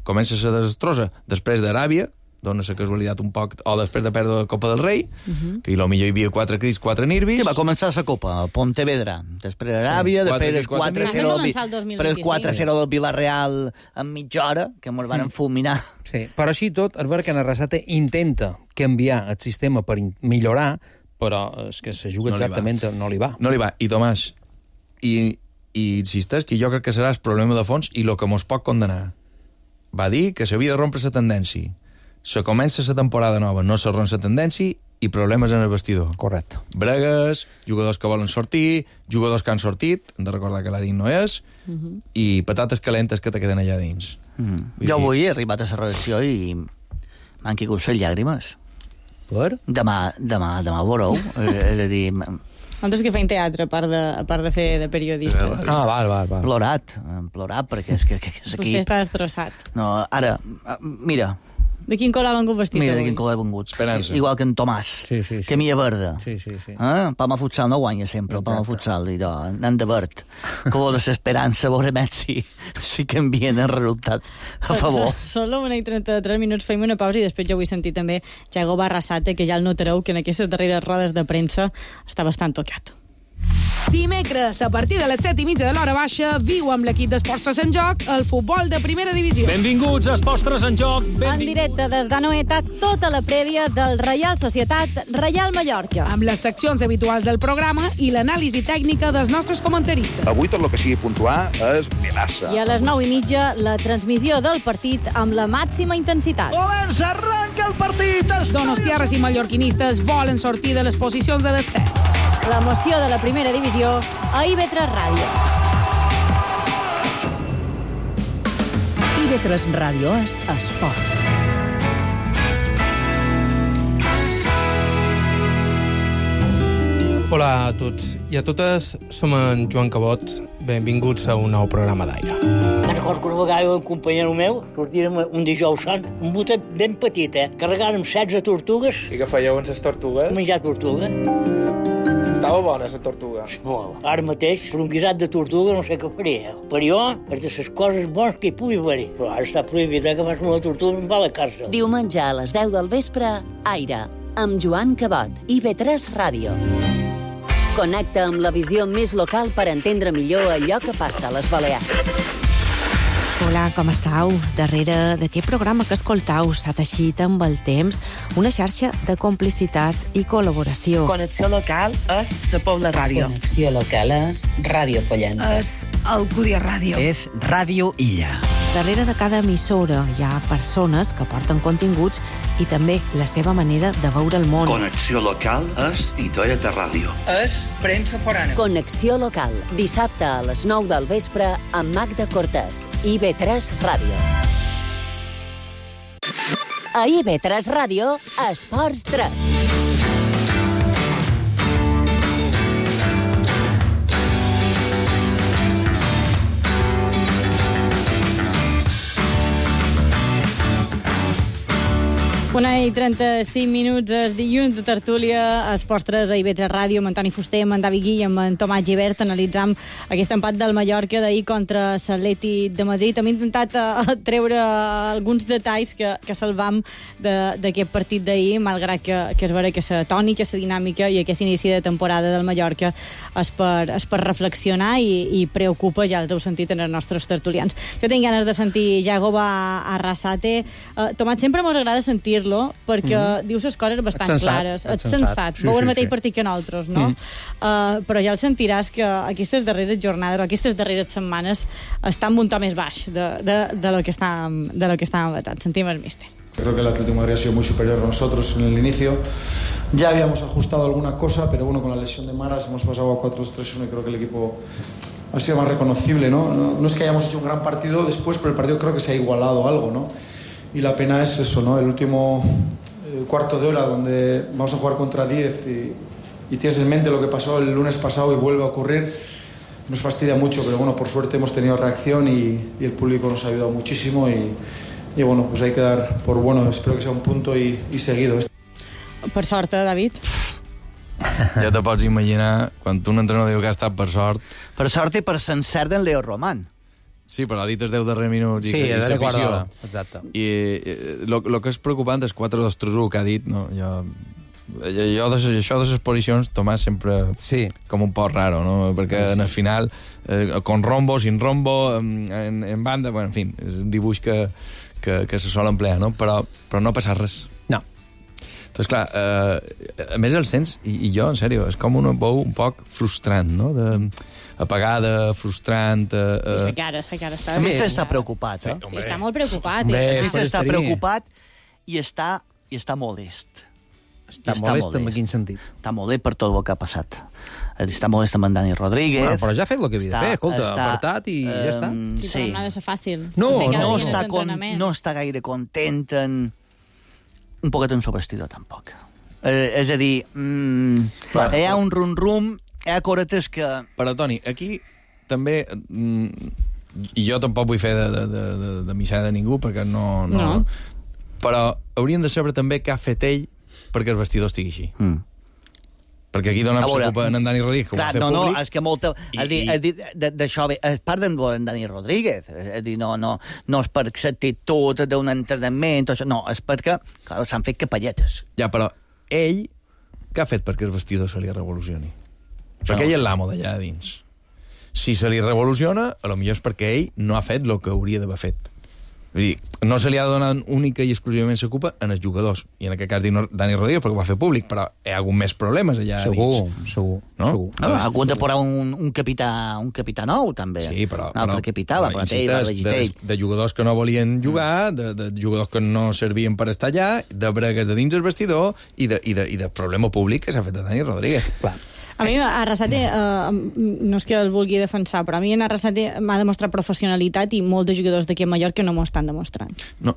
comença a ser desastrosa, després d'Aràbia, dona la casualitat un poc, o després de perdre la Copa del Rei, uh-huh. que potser hi havia quatre crits, quatre nervis... Que va començar la Copa, Pontevedra, després Aràbia, sí, després quatre zero del, quatre zero del Villarreal en mitja hora, que ens van fulminar. Sí, però així tot, el Berga Arrasate intenta canviar el sistema per millorar, però és que se juga no exactament, li no li va. No li va. I Tomàs, i, i insisteix que jo crec que serà el problema de fons i el que mos pot condenar. Va dir que s'havia de rompre la tendència. Se comença la temporada nova, no se romp la tendència i problemes en el vestidor. Correcte. Bregues, jugadors que volen sortir, jugadors que han sortit, hem de recordar que l'Arín no és, uh-huh. i patates calentes que te queden allà dins. Mm. Jo avui he arribat a la redacció i m'han caigut les llàgrimes. Per? Demà, demà, demà veureu. És a dir... Nosaltres que feim teatre, a part de, a part de fer de periodistes. Ah, val, val, val. Plorat, plorat, perquè és que, que, que és aquí... Vostè està destrossat. No, ara, mira... De quin color ha vengut vestit Mira, avui? de quin color ha vengut. Esperança. Igual que en Tomàs. Sí, sí, sí. Camilla verda. Sí, sí, sí. Eh? Palma Futsal no guanya sempre, el Palma Futsal. I anant de verd. Color de l'esperança, veurem si, si canvien els resultats a favor. Són l'una i trenta-tres minuts, feim una pausa i després jo vull sentir també Jago Barrasate, que ja el notareu que en aquestes darreres rodes de premsa està bastant tocat. Dimecres, a partir de les set i mitja de l'hora baixa, viu amb l'equip d'Esports en Joc el futbol de primera divisió. Benvinguts a Esports en Joc. Benvinguts. En directe des d'Anoeta, tota la prèvia del Reial Societat Reial Mallorca. Amb les seccions habituals del programa i l'anàlisi tècnica dels nostres comentaristes. Avui tot el que sigui puntuar és melassa. I a les nou i mitja, la transmissió del partit amb la màxima intensitat. Comença, arranca el partit! Donostiarres i mallorquinistes volen sortir de les posicions de descens. L'emoció de la primera divisió a I B tres Ràdio. I B tres Ràdio és esport. Hola a tots i a totes, som en Joan Cabot. Benvinguts a un nou programa d'Aire. Me'n recordo que una vegada un companyero meu sortírem un dijous sant, un botet ben petit, eh? Carregàrem setze tortugues. I què fèieu amb les tortugues? Menjar tortuga. Estava bona, la tortuga. Molt. Ara mateix, per un guisat de tortuga no sé què faria. Per jo, és de les coses bones que hi pugui haver-hi. Però ara està prohibit, eh, que fas una tortuga en va a la càrcel. Diumenge a les deu del vespre, Aire, amb Joan Cabot, I B tres Ràdio. Connecta amb la visió més local per entendre millor allò que passa a les Balears. Hola, com estàu? Darrere d'aquest programa que escoltau s'ha teixit amb el temps una xarxa de complicitats i col·laboració. Connexió local és la Pobla Ràdio. Connexió local és Ràdio Pollença. És Alcúdia Ràdio. És Ràdio Illa. Darrere de cada emissora hi ha persones que porten continguts i també la seva manera de veure el món. Connexió local és Itoeta Ràdio. És premsa forana. Connexió local, dissabte a les nou del vespre amb Magda Cortés, I B tres Ràdio. A I B tres Ràdio, Esports tres. Una i trenta-cinc minuts, és dilluns de tertúlia, Esports tres a I B tres Ràdio, amb Antoni Fuster, amb en David Gui i amb en Tomàs Gibert. Analitzam aquest empat del Mallorca d'ahir contra l'Atlètic de Madrid. Hem intentat uh, treure alguns detalls que, que salvam d'aquest partit d'ahir, malgrat que, que és vera que la tònica, la dinàmica i aquest inici de temporada del Mallorca és per, és per reflexionar i, i preocupa, ja els heu sentit en els nostres tertulians. Jo tinc ganes de sentir Jagoba Arrasate. Uh, Tomàs, sempre mos agrada sentir perquè mm-hmm. dius les coses bastant sensat, clares. Ets sensat. sensat. Sí, Veu el sí, mateix sí. partit que nosaltres, no? Mm. Uh, però ja el sentiràs que aquestes darreres jornades o aquestes darreres setmanes estan un to més baix de, de, de lo que estàvem de lo que estàvem basant. Sentim el míster. Creo que el Atlético de Madrid ha sido muy superior a nosotros en el inicio. Ya habíamos ajustado alguna cosa, pero bueno, con la lesión de Maras hemos pasado a cuatro dos tres uno y creo que el equipo ha sido más reconocible, ¿no? No, no es que hayamos hecho un gran partido después, pero el partido creo que se ha igualado algo, ¿no? Y la pena es eso, ¿no? El último eh, cuarto de hora donde vamos a jugar contra diez y, y tienes en mente lo que pasó el lunes pasado y vuelve a ocurrir, nos fastidia mucho, pero bueno, por suerte hemos tenido reacción y, y el público nos ha ayudado muchísimo y, y bueno, pues hay que dar por bueno, espero que sea un punto y, y seguido. Per sort, eh, David? Ja te pots imaginar, quan un entrenador diu que ha estat per sort... Per sort i per sencert d'en Leo Román. Sí, però ha dit els deu darrers minuts i, sí, i l'afició. Exacte. I el que és preocupant és quatre dos tres u que ha dit, no? Jo, jo de, això de les posicions, Tomàs, sempre sí. com un poc raro, no? Perquè sí. en el final, eh, con rombo, sin rombo, en, en banda, bueno, en fi, és un dibuix que, que, que se sol emplear, no? Però, però no passa res. No. Doncs clar, eh, a més el sents, i, i jo, en sèrio, és com una veu un poc frustrant, no? De, apagada, frustrant... Eh, I sa cara, sa cara està... El míster està preocupat, eh? Sí, està molt preocupat. Bé, el míster està preocupat i està, i està molest. Està, està molest, molest en quin sentit? Està molest per tot el que ha passat. Està molest amb en Dani Rodríguez. Bueno, però ja ha fet el que havia de fer, escolta, està, apartat i um, ja està. Sí, però no ha de ser fàcil. No, no, està, con, no està gaire content en... Un poquet en subvestidor, tampoc. Eh, és a dir, mm, bueno, hi ha un rum-rum, hi ha coretes que... Però, Toni, aquí també... Mm, i jo tampoc vull fer de, de, de, de, de missada de ningú, perquè no, no... no. Però hauríem de saber també què ha fet ell perquè el vestidor estigui així. Mm. Perquè aquí donem la culpa en Dani Rodríguez, que ho va fer no, públic. No, és que molta... D'això és part d'en Dani Rodríguez. És dir, no, no, no és per l'actitud d'un entrenament, no, és perquè s'han fet capelletes. Ja, però ell, què ha fet perquè el vestidor se li revolucioni? Perquè ell és l'amo d'allà dins. Si se li revoluciona, a lo millor és perquè ell no ha fet el que hauria d'haver fet. És dir, no se li ha de donar única i exclusivament la culpa en els jugadors. I en aquest cas Dani Rodríguez, perquè ho va fer públic, però hi ha hagut més problemes allà segur, dins. Segur, no? segur. No, ha hagut de posar un, un, capità, un capità nou, també. Sí, però... Un altre capità, va, però insistes, de, de jugadors que no volien jugar, de, de jugadors que no servien per estar allà, de bregues de dins el vestidor i de, i de, i de problema públic que s'ha fet de Dani Rodríguez. Clar. A mi, Arrasate, eh, no és que el vulgui defensar, però a mi en Arrasate m'ha demostrat professionalitat i molts de jugadors d'aquí a Mallorca no m'ho estan demostrant. No,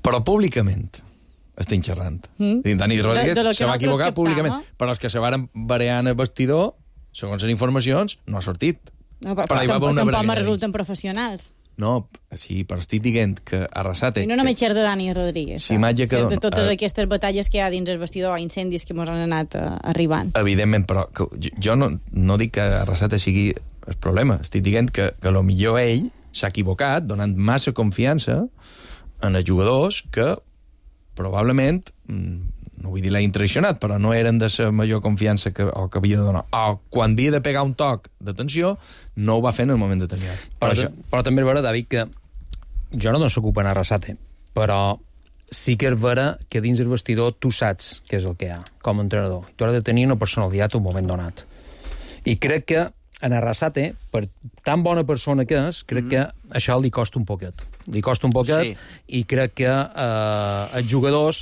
però públicament estic xerrant. Mm. Dani Rodríguez de, de se va equivocar públicament, però els que se varen barear en el vestidor, segons les informacions, no ha sortit. No, però, però, però tampoc, tampoc me resulten professionals. No, sí, però estic dient que Arrasate... I no només xer de Dani Rodríguez, si imatge que de totes uh, aquestes batalles que hi ha dins el vestidor, incendis que ens han anat uh, arribant. Evidentment, però que, jo no, no dic que Arrasate sigui el problema, estic dient que, que lo millor ell s'ha equivocat donant massa confiança en els jugadors que probablement, no vull dir l'ha intraicionat, però no eren de la major confiança que, o que havia de donar. O quan havia de pegar un toc d'atenció, no ho va fer en el moment determinat. Però, però, però també és vera, David, que jo no s'ocupa en Arrasate, però sí que és vera que dins el vestidor tu saps què és el que hi ha com a entrenador. Tu has de tenir una personalitat un moment donat. I crec que en Arrasate, per tan bona persona que és, crec mm. que això li costa un poquet. Li costa un poquet, sí. I crec que eh, els jugadors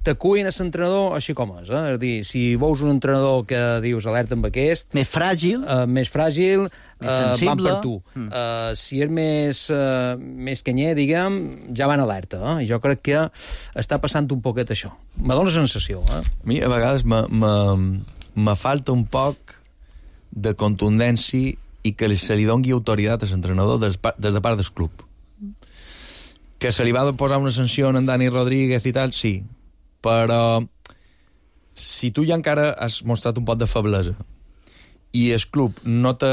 t'acuïn a l'entrenador així com és. Eh? És a dir, si veus un entrenador que dius alerta amb aquest... Més fràgil. Uh, més fràgil, més sensible. Uh, van per tu. Mm. Uh, si és més, uh, més canyer, diguem, ja van alerta. Eh? I jo crec que està passant un poquet això. Me dóna la sensació. Eh? A mi, a vegades, me, me, me falta un poc de contundència i que se li doni autoritat a l'entrenador des, des de part del club. Que se li va posar una sanció en Dani Rodríguez i tal, sí, però si tu ja encara has mostrat un pot de feblesa i el club no te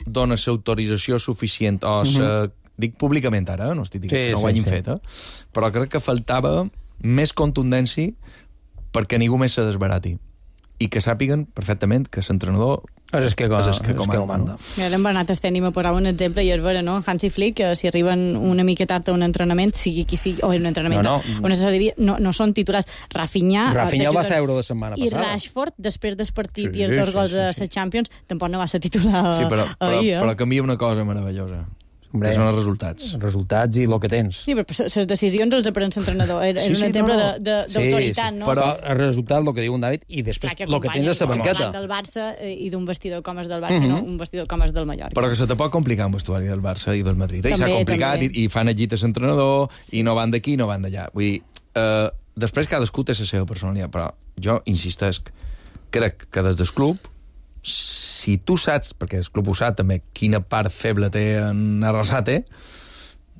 dona l'autorització suficient o mm-hmm. sa, dic públicament ara, no estic dient sí, que no ho hagin sí, fet, eh? Però crec que faltava més contundència perquè ningú més se desbarati i que sàpiguen perfectament que l'entrenador és que, és que, que comanda. Ja l'hem anat estem a posar un exemple i és vera, no? Hansi Flick, que si arriben una mica tard a un entrenament, sigui qui sigui, o un entrenament, no, no. on se no, no són titulars. Rafinha... Rafinha va ser euro de setmana i passada. I Rashford, després del partit sí, i els dos gols sí, sí, sí. a Champions, tampoc no va ser titular sí, però, però, ahir, eh? però canvia una cosa meravellosa. Hombre, que són els resultats. Resultats i el que tens. Sí, però les decisions els aprèn l'entrenador. És sí, sí, un exemple no, no. d'autoritat, sí, sí. no? Però el resultat, el que diu un David, i després el que tens a la banqueta. Del Barça i d'un vestidor com és del Barça, mm-hmm. no un vestidor com és del Mallorca. Però que se te pot complicar un vestuari del Barça i del Madrid. I s'ha complicat i, i fan agit a l'entrenador sí. i no van d'aquí i no van d'allà. Vull dir, eh, després cadascú té la seva personalitat, però jo insistesc, crec que des del club si tu saps, perquè el club ho sap també, quina part feble té en Arrasate,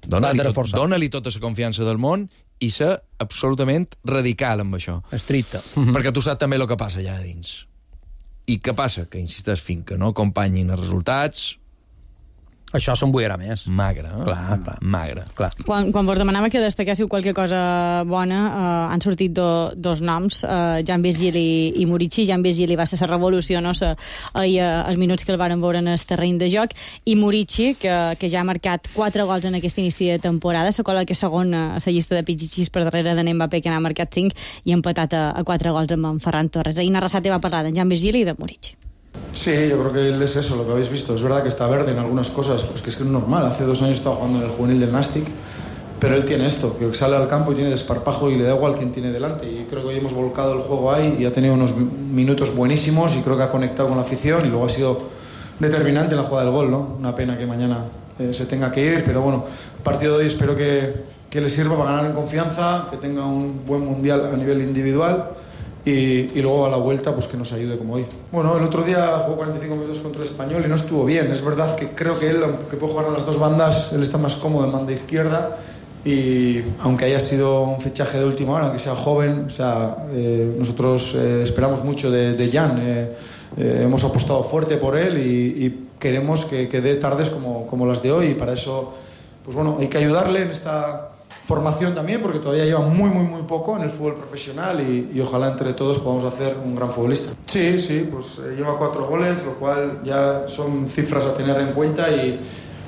dona-li tot, dona-li tota la confiança del món i ser absolutament radical amb això. Estricte. Perquè tu saps també el que passa allà dins. I què passa? Que insisteix, fins que no acompanyin els resultats... Això s'embuirà més. Magre, eh? Clar, clar. Magre. Clar. Quan, quan vos demanava que destaquéssiu qualque cosa bona, eh, han sortit do, dos noms, eh, Jan Virgili i Murici. Jan Virgili va ser la revolució, no? Sa, ahir, eh, els minuts que el varen veure en el terreny de joc, i Murici, que, que ja ha marcat quatre gols en aquest inici de temporada, se cola que segon a la llista de pitxitxis per darrere de Mbappé, que n'ha marcat cinc, i ha empatat a, a quatre gols amb en Ferran Torres. Ahir Arrasate va parlar de Jan Virgili i de Murici. Sí, yo creo que él es eso, lo que habéis visto. Es verdad que está verde en algunas cosas, pues que es que es normal. Hace dos años estaba jugando en el juvenil del Nastic, pero él tiene esto, que sale al campo y tiene desparpajo y le da igual quién tiene delante. Y creo que hoy hemos volcado el juego ahí y ha tenido unos minutos buenísimos y creo que ha conectado con la afición y luego ha sido determinante en la jugada del gol, ¿no? Una pena que mañana eh, se tenga que ir, pero bueno, el partido de hoy espero que, que le sirva para ganar en confianza, que tenga un buen mundial a nivel individual. Y, y luego a la vuelta pues que nos ayude como hoy. Bueno, el otro día jugó cuarenta y cinco minutos contra el Español y no estuvo bien. Es verdad que creo que él, aunque puede jugar a las dos bandas, él está más cómodo en banda izquierda y aunque haya sido un fichaje de última hora, aunque sea joven, o sea, eh, nosotros eh, esperamos mucho de, de Jan. Eh, eh, hemos apostado fuerte por él y, y queremos que, que dé tardes como, como las de hoy y para eso, pues bueno, hay que ayudarle en esta formación también, porque todavía lleva muy, muy, muy poco en el fútbol profesional y, y ojalá entre todos podamos hacer un gran futbolista. Sí, sí, pues eh, lleva cuatro goles, lo cual ya son cifras a tener en cuenta y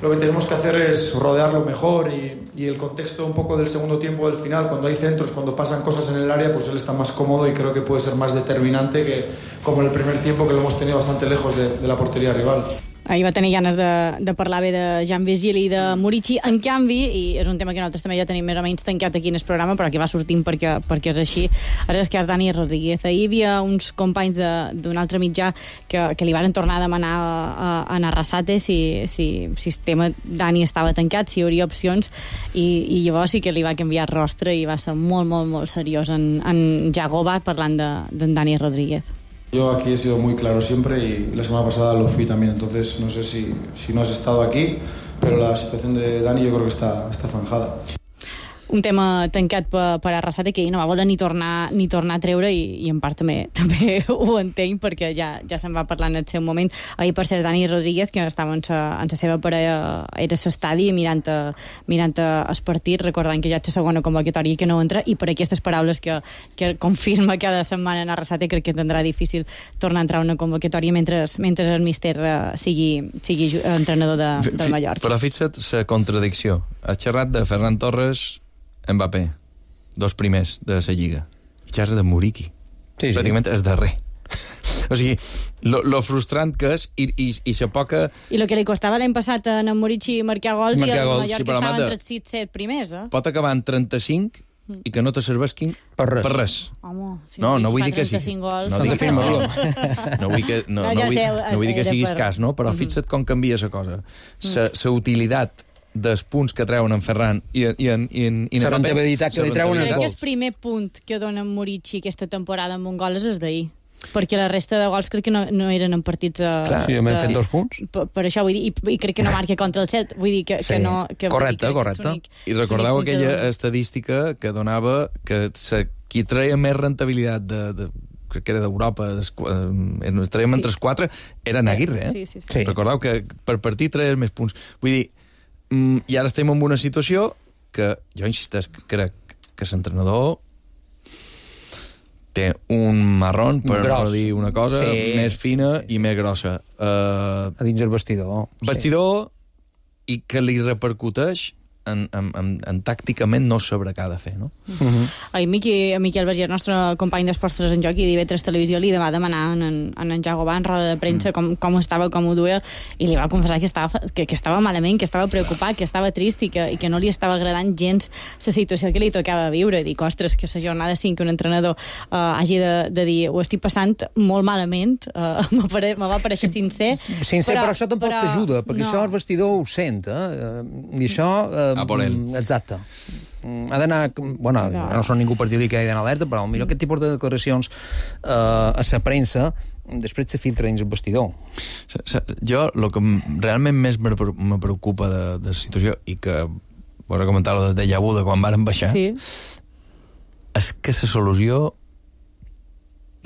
lo que tenemos que hacer es rodearlo mejor y, y el contexto un poco del segundo tiempo del final, cuando hay centros, cuando pasan cosas en el área, pues él está más cómodo y creo que puede ser más determinante que como en el primer tiempo, que lo hemos tenido bastante lejos de, de la portería rival. Ahir va tenir ganes de, de parlar bé de Jan Virgili i de Murici. En canvi, i és un tema que nosaltres també ja tenim més o menys tancat aquí en el programa, però que va sortint perquè, perquè és així, és el cas Dani Rodríguez. Ahir hi havia uns companys d'un altre mitjà que, que li van tornar a demanar a, a Arrasate si, si, si el tema Dani estava tancat, si hi hauria opcions, i, i llavors sí que li va canviar el rostre i va ser molt, molt, molt seriós en, en Jagoba parlant d'en Dani Rodríguez. Yo aquí he sido muy claro siempre y la semana pasada lo fui también, entonces no sé si, si no has estado aquí, pero la situación de Dani yo creo que está, está zanjada. Un tema tancat per, per Arrasate que ell no va voler ni tornar, ni tornar a treure i, i en part també, també ho entenc perquè ja, ja se'n va parlar en el seu moment. Ahir, per cert, Dani Rodríguez, que estava en sa, en sa seva parella, era a l'estadi mirant, a, mirant a el partit, recordant que ja és la segona convocatòria que no entra, i per aquestes paraules que, que confirma cada setmana en Arrasate, crec que tindrà difícil tornar a entrar a una convocatòria mentre, mentre el míster uh, sigui, sigui entrenador de, del Mallorca. Però fixa't la contradicció. Has xerrat de Ferran Torres, Mbappé, dos primers de la Lliga. I xerra de Muriqui. Sí, sí. Pràcticament és darrer. O sigui, lo, lo frustrant que és i, i, i la poca... I el que li costava l'any passat a en Muriqui marcar gols marcar i el Mallorca sí, estava entre els sis set primers, eh? Pot acabar en trenta-cinc i que no te serveixin per res. Per res. Home, si no, no vull dir que sí. Gols, no, dic que no. no vull que no, no, no, vull, no vull dir que siguis cas, no? Però fixa't com canvia la cosa. La utilitat dels punts que treuen en Ferran i, i en i en i la rentabilitat que li treuen en gols. Crec que el primer punt que dona Muriqui aquesta temporada amb un gol és el d'ahir, perquè la resta de gols crec que no, no eren en partits a, clar, sí, m'hem fet dos punts per, per això vull dir, i, i crec que no marca contra el set, vull dir que, sí. que no que, correcte, dir, correcte únic, i recordeu aquella de... estadística que donava que se, qui treia més rentabilitat de, de crec que era d'Europa, es traiem sí. entre els quatre, era Aguirre, eh? Sí, sí, sí. Recordeu que per partit treia més punts. Vull dir, i ara estem en una situació que jo insisteix, crec que l'entrenador té un marrón, per no dir una cosa, sí, més fina sí, sí. i més grossa. Uh, a dins el vestidor. Vestidor sí. I que li repercuteix en, en, en, en tàcticament no sabrà què ha de fer, no? Uh-huh. Ai, Miqui, Miquel Vergés, el nostre company d'Esports tres en Joc i d'I V tres Televisió, li va demanar en, en, en Jagoba en roda de premsa mm. com, com estava, com ho duia, i li va confessar que estava, que, que estava malament, que estava preocupat, que estava trist i que, i que no li estava agradant gens la situació que li tocava viure. Dic, ostres, que la jornada cinc que un entrenador uh, hagi de, de dir ho estic passant molt malament, uh, me va pareixer sincer. Sincer, però, però això tampoc però... t'ajuda, perquè no. Això el vestidor ho sent, eh? I això... Uh, a por ell. Exacte. Ha d'anar... Bueno, no, no són ningú partidari que ha d'anar alerta, però millor aquest tipus de declaracions eh, a la premsa després se filtra dins el vestidor. Jo, el que realment més me preocupa de, de la situació, i que vos he comentat el de déjà vu de quan varen baixar, sí. És que la solució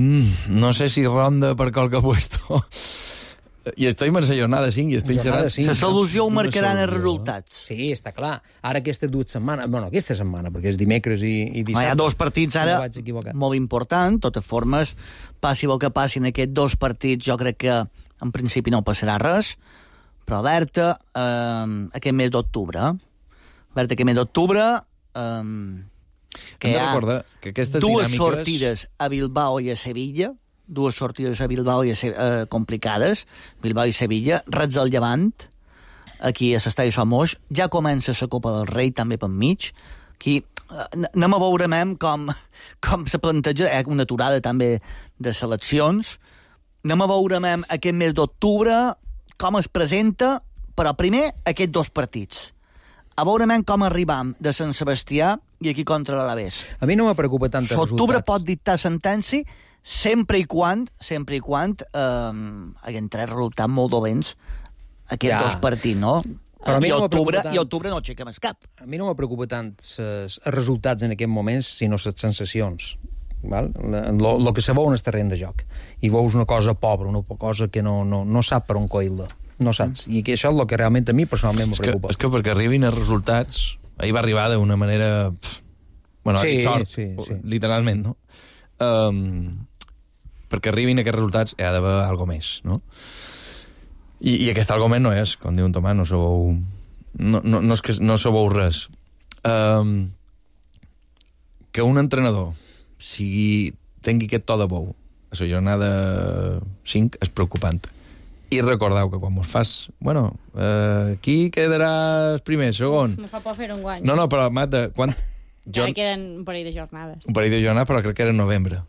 mm, no sé si ronda per qualque puesto. I estem en la jornada cinc i estem xerrant... La solució ho marcaran els resultats. Sí, està clar. Ara aquestes dues setmanes... Bueno, aquesta setmana, perquè és dimecres i, i dissabte... Hi ha dos partits ara no molt importants. De totes formes, passi el que passi en aquests dos partits, jo crec que en principi no passarà res, però Berta, eh, aquest mes d'octubre, Berta, aquest mes d'octubre, eh, que hi ha que aquestes dues dinàmiques... sortides a Bilbao i a Sevilla, dues sortides a Bilbao i a Se eh, complicades, Bilbao i Sevilla, Reds al Llevant, aquí a l'estadi Somos, ja comença la Copa del Rei també per mig, aquí eh, anem a veure com, com se planteja, eh, una aturada també de seleccions, anem a veure aquest mes d'octubre com es presenta, però primer aquests dos partits. A veure com arribam de Sant Sebastià i aquí contra l'Alavés. A mi no me preocupa tant els resultats. L'octubre pot dictar sentència sempre i quan, sempre i quan eh, haguem tres resultats molt dolents aquests ja. dos partits, no? Però a mi I, no octubre, tant... I octubre no aixequem el cap. A mi no me preocupa tant els resultats en aquests moments, sinó les sensacions. El que se veu en el terreny de joc. I veus una cosa pobra, una cosa que no, no, no sap per on coir-la. No saps. I que això és el que realment a mi personalment me preocupa. És que, és que perquè arribin els resultats ahir va arribar d'una manera... Pff, bueno, sí, sort, sí, sí. literalment, no? Um, perquè arribin aquests resultats hi ha d'haver alguna més, no? I, i aquest alguna més no és, com diu un Tomàs, no sabeu... No, no, no és que no sabeu res. Um, que un entrenador sigui, tingui aquest to de bou a la jornada cinc és preocupant. I recordeu que quan vos fas... Bueno, eh, qui quedarà el primer, segon? No fa por fer un guany. No, no, però, Mata, quan... Encara queden un parell de jornades. Un parell de jornades, però crec que era en novembre.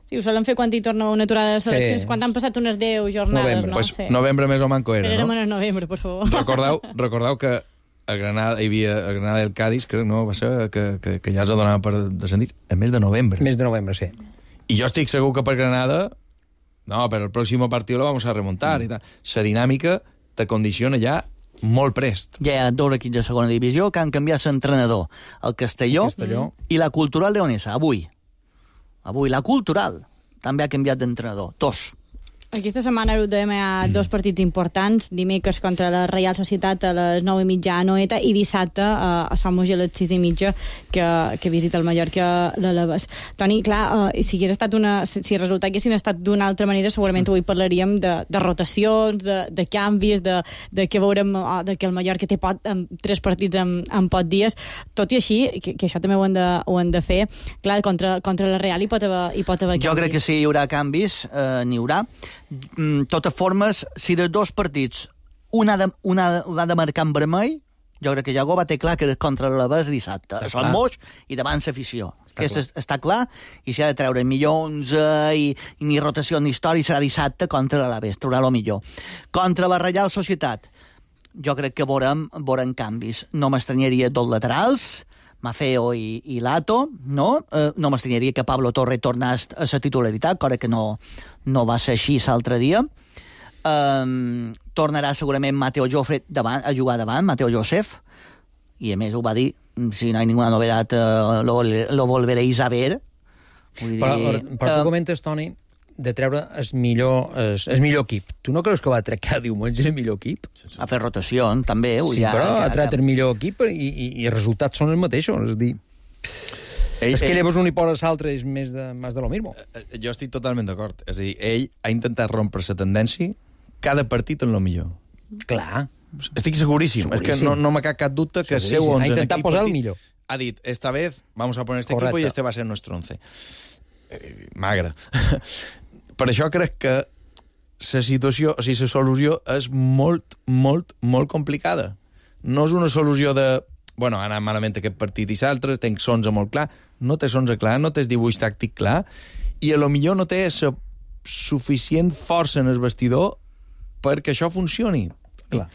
Sí, ho solen fer quan hi torna una aturada de seleccions, sí. Quan han passat unes deu jornades, novembre. no? Pues, sí. Novembre més o manco era, Però no? Però érem en novembre, per favor. Recordeu, recordeu que a Granada hi havia a Granada del Cádiz, crec, no? Va ser que, que, que ja els donaven per descendir el mes de novembre. Mes de novembre, sí. I jo estic segur que per Granada... No, però el pròxim partit lo vamos a remuntar mm. i tal. La dinàmica te condiciona ja molt prest. Ja hi ha dos equips de segona divisió que han canviat l'entrenador. El Castelló, el Castelló i la Cultural Leonesa, avui. Avui, la Cultural també ha canviat d'entrenador. Dos. Aquesta setmana ho dèiem, hi ha dos partits importants, dimecres contra la Reial Societat a les nou i mitja a Noeta i dissabte a Sant Moix a les sis i mitja que, que visita el Mallorca l'Alaves. Toni, clar, uh, si hagués estat una, si, si els resultats haguessin estat d'una altra manera, segurament avui parlaríem de, de rotacions, de, de canvis, de, de que veurem uh, de que el Mallorca té pot, um, tres partits en, en pot dies. Tot i així, que, que això també ho han de, ho han de fer, clar, contra, contra la Real hi pot haver, hi pot haver canvis. Jo crec que sí, hi haurà canvis, eh, n'hi haurà. De totes formes, si de dos partits un ha de, un ha, ha de marcar en vermell, jo crec que Iago va ter clar que era contra l'Alaves dissabte. A Sant Moix i davant l'afició. Està, està clar, i si ha de treure millor onze i, i ni rotació ni història, serà dissabte contra l'Alaves, traurà el millor. Contra la Reial Societat, jo crec que veurem, veurem canvis. No m'estranyaria dos laterals, Mafeo i, i Lato, no? Eh, no m'estranyaria que Pablo Torre tornés a la titularitat, cosa que no, no va ser així l'altre dia. Um, tornarà segurament Mateo Jofre davant, a jugar davant, Mateo Josef, i a més ho va dir, si no hi ha ninguna novedat, uh, lo, lo volveréis a ver. Vull dir, però, però tu uh, comentes, Toni, de treure el millor, el, el millor equip. Tu no creus que va treure cada diumenge el millor equip? A fer rotació, també. Sí, ja, però ha tret el millor equip i, i, i els resultats són els mateixos. És dir, ell, és que ell, llavors un hi posa l'altre és més de, més de lo mismo. Jo estic totalment d'acord. És a dir, ell ha intentat rompre la tendència cada partit en lo millor. Clar. Estic seguríssim. seguríssim. És que no, no m'ha cap dubte que seu onze... Ha intentat posar el millor. Ha dit, esta vez vamos a poner este Correcte. equipo y este va a ser nuestro once. Eh, magre. Per això crec que la situació, o sigui, la solució és molt, molt, molt complicada. No és una solució de, bueno, ha anat malament aquest partit i l'altre, tenc onze molt clar, no té onze clar, no té dibuix tàctic clar, i a lo millor no té la suficient força en el vestidor perquè això funcioni. Clar.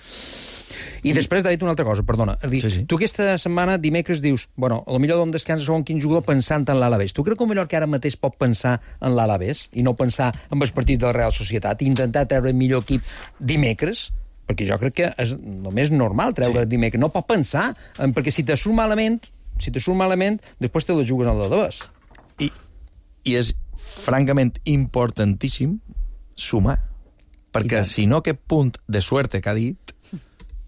I després t'ha dit una altra cosa, perdona. És dir, sí, sí. Tu aquesta setmana, dimecres, dius, bueno, a lo millor d'on descansa segon quin jugador pensant en l'Alavés. Tu crec que el millor que ara mateix pot pensar en l'Alavés i no pensar en el partit de la Real Societat i intentar treure el millor equip dimecres? Perquè jo crec que és només normal treure sí. dimecres. No pot pensar, en, perquè si te surt malament, si te surt malament, després te la juguen al revés. I, I és francament importantíssim sumar. Perquè si no, aquest punt de suerte que ha dit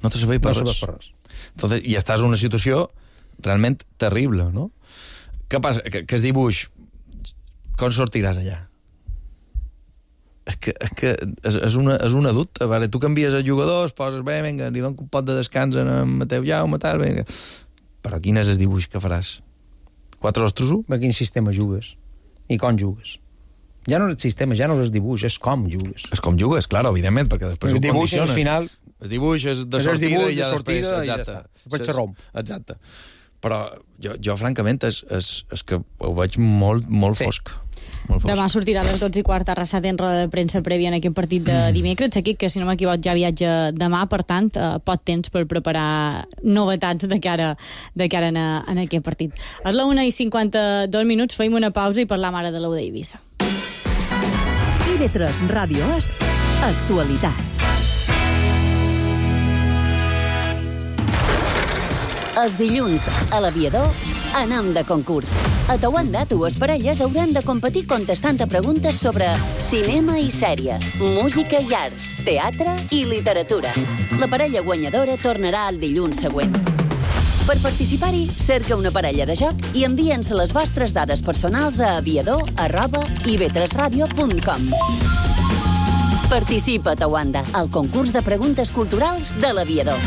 no te serveix per no res. Per res. Entonces, i estàs en una situació realment terrible, no? Què passa? Que, que es dibuix, com sortiràs allà? És que, és, que és, és, una, és una dubte. Vale? Tu canvies els jugadors, poses, bé, vinga, li dono un pot de descans a Mateu Jaume, tal, vinga. Però quin és el dibuix que faràs? Quatre ostres? A quin sistema jugues? I com jugues? Ja no és el sistema, ja no és el dibuix, és com jugues. És com jugues, clar, evidentment, perquè després ho condiciones. El final... El dibuix és de sortida dibuix, i ja de després... Exacte. I ja després se romp. Exacte. Però jo, jo francament, és, és, és que ho veig molt, molt sí. fosc. Molt fosc. Demà sortirà a les dotze i quart Arrasat en roda de premsa prèvia en aquest partit de dimecres. Aquí, que si no m'equivoc ja viatja demà, per tant, eh, pot temps per preparar novetats de cara, de cara en, a, en aquest partit. A la una i cinquanta-dos minuts feim una pausa i parlam ara de l'U d'Eivissa. I V tres Ràdio és actualitat. Els dilluns, a l'Aviador, anem de concurs. A Tauanda, dues parelles hauran de competir contestant a preguntes sobre cinema i sèries, música i arts, teatre i literatura. La parella guanyadora tornarà el dilluns següent. Per participar-hi, cerca una parella de joc i envia'ns les vostres dades personals a aviador arroba i ve tres radio punt com. Participa a Tawanda, al concurs de preguntes culturals de l'Aviador.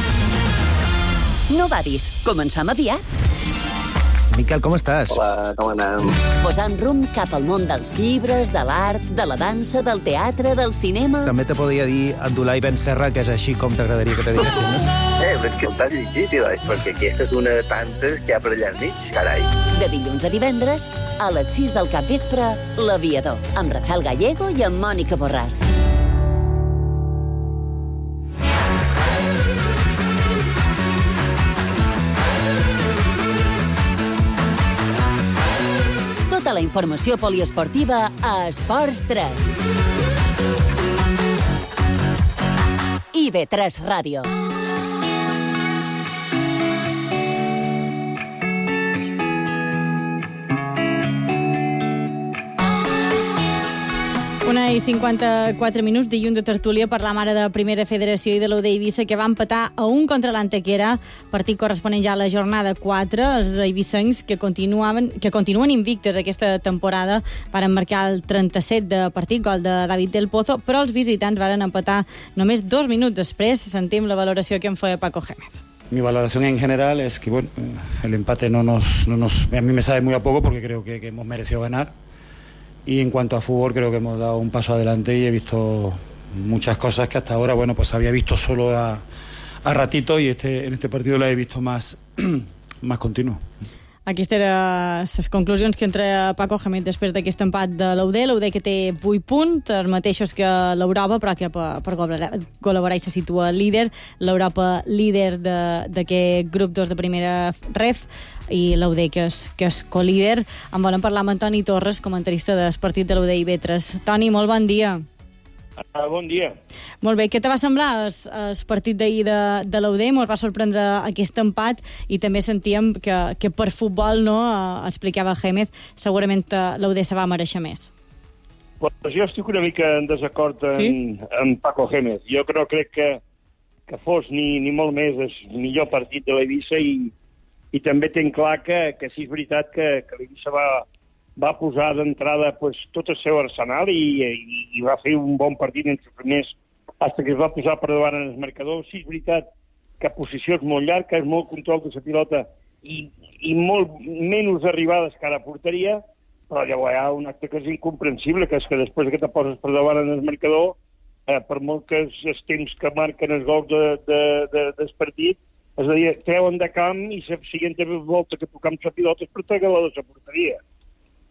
No badis, començam aviat. Miquel, com estàs? Hola, com anem? Posant rumb cap al món dels llibres, de l'art, de la dansa, del teatre, del cinema... També te podria dir Abdulai Ben Serra, que és així com t'agradaria que te diguessin, no? Eh, però és que t'has llegit, Ilai, perquè aquesta és una de tantes que hi ha per allà al mig, carai. De dilluns a divendres, a les sis del capvespre, l'Aviador, amb Rafael Gallego i amb Mònica Borràs. Tota la informació poliesportiva a Esports tres. I ve tres Ràdio. Una i cinquanta-quatre minuts, dilluns de tertúlia per la mare de Primera Federació i de l'U D Eivissa, que va empatar a un contra l'Antequera, partit corresponent ja a la jornada quatre. Els eivissencs, que continuaven, que continuen invictes aquesta temporada, van marcar el trenta-set de partit, gol de David del Pozo, però els visitants van empatar només dos minuts després. Sentim la valoració que en feia Paco Gémez. Mi valoración en general es que bueno, el empate no nos, no nos, a mí me sabe muy a poco porque creo que, que hemos merecido ganar. Y en cuanto a fútbol creo que hemos dado un paso adelante y he visto muchas cosas que hasta ahora bueno pues había visto solo a, a ratito y este, en este partido la he visto más, más continuo. Aquestes eren les conclusions que entra Paco Gémez després d'aquest empat de l'U D. L'U D que té vuit punts, els mateixos que l'Europa, però que per, per col·laborar se situa líder. L'Europa líder d'aquest grup dos de primera ref i l'U D que és, que és colíder. En volen parlar amb Toni Torres, comentarista del partit de l'U D i ve tres. Toni, molt bon dia. Uh, bon dia. Molt bé, què te va semblar el, el partit d'ahir de, de l'U D? Ens va sorprendre aquest empat i també sentíem que, que per futbol, no, uh, explicava Gémez, segurament uh, l'U D se va mereixer més. Pues jo estic una mica en desacord amb, sí? amb Paco Gémez. Jo crec, crec que, que fos ni, ni molt més el millor partit de l'Eivissa i, i també tenc clar que, que sí és veritat que, que l'Eivissa va... va posar d'entrada pues, tot el seu arsenal i, i, i va fer un bon partit entre els primers fins que es va posar per davant en el marcador. Sí, és veritat que posició és molt llarg, que és molt control de la pilota i, i molt menys arribades que a la porteria, però llavors hi ha un acte que és incomprensible, que és que després que te poses per davant en el marcador, eh, per molt que els, els temps que marquen els gols de, de, de, del partit, és a dir, treuen de camp i la següent volta que tocam la pilota és per treure-la de la porteria.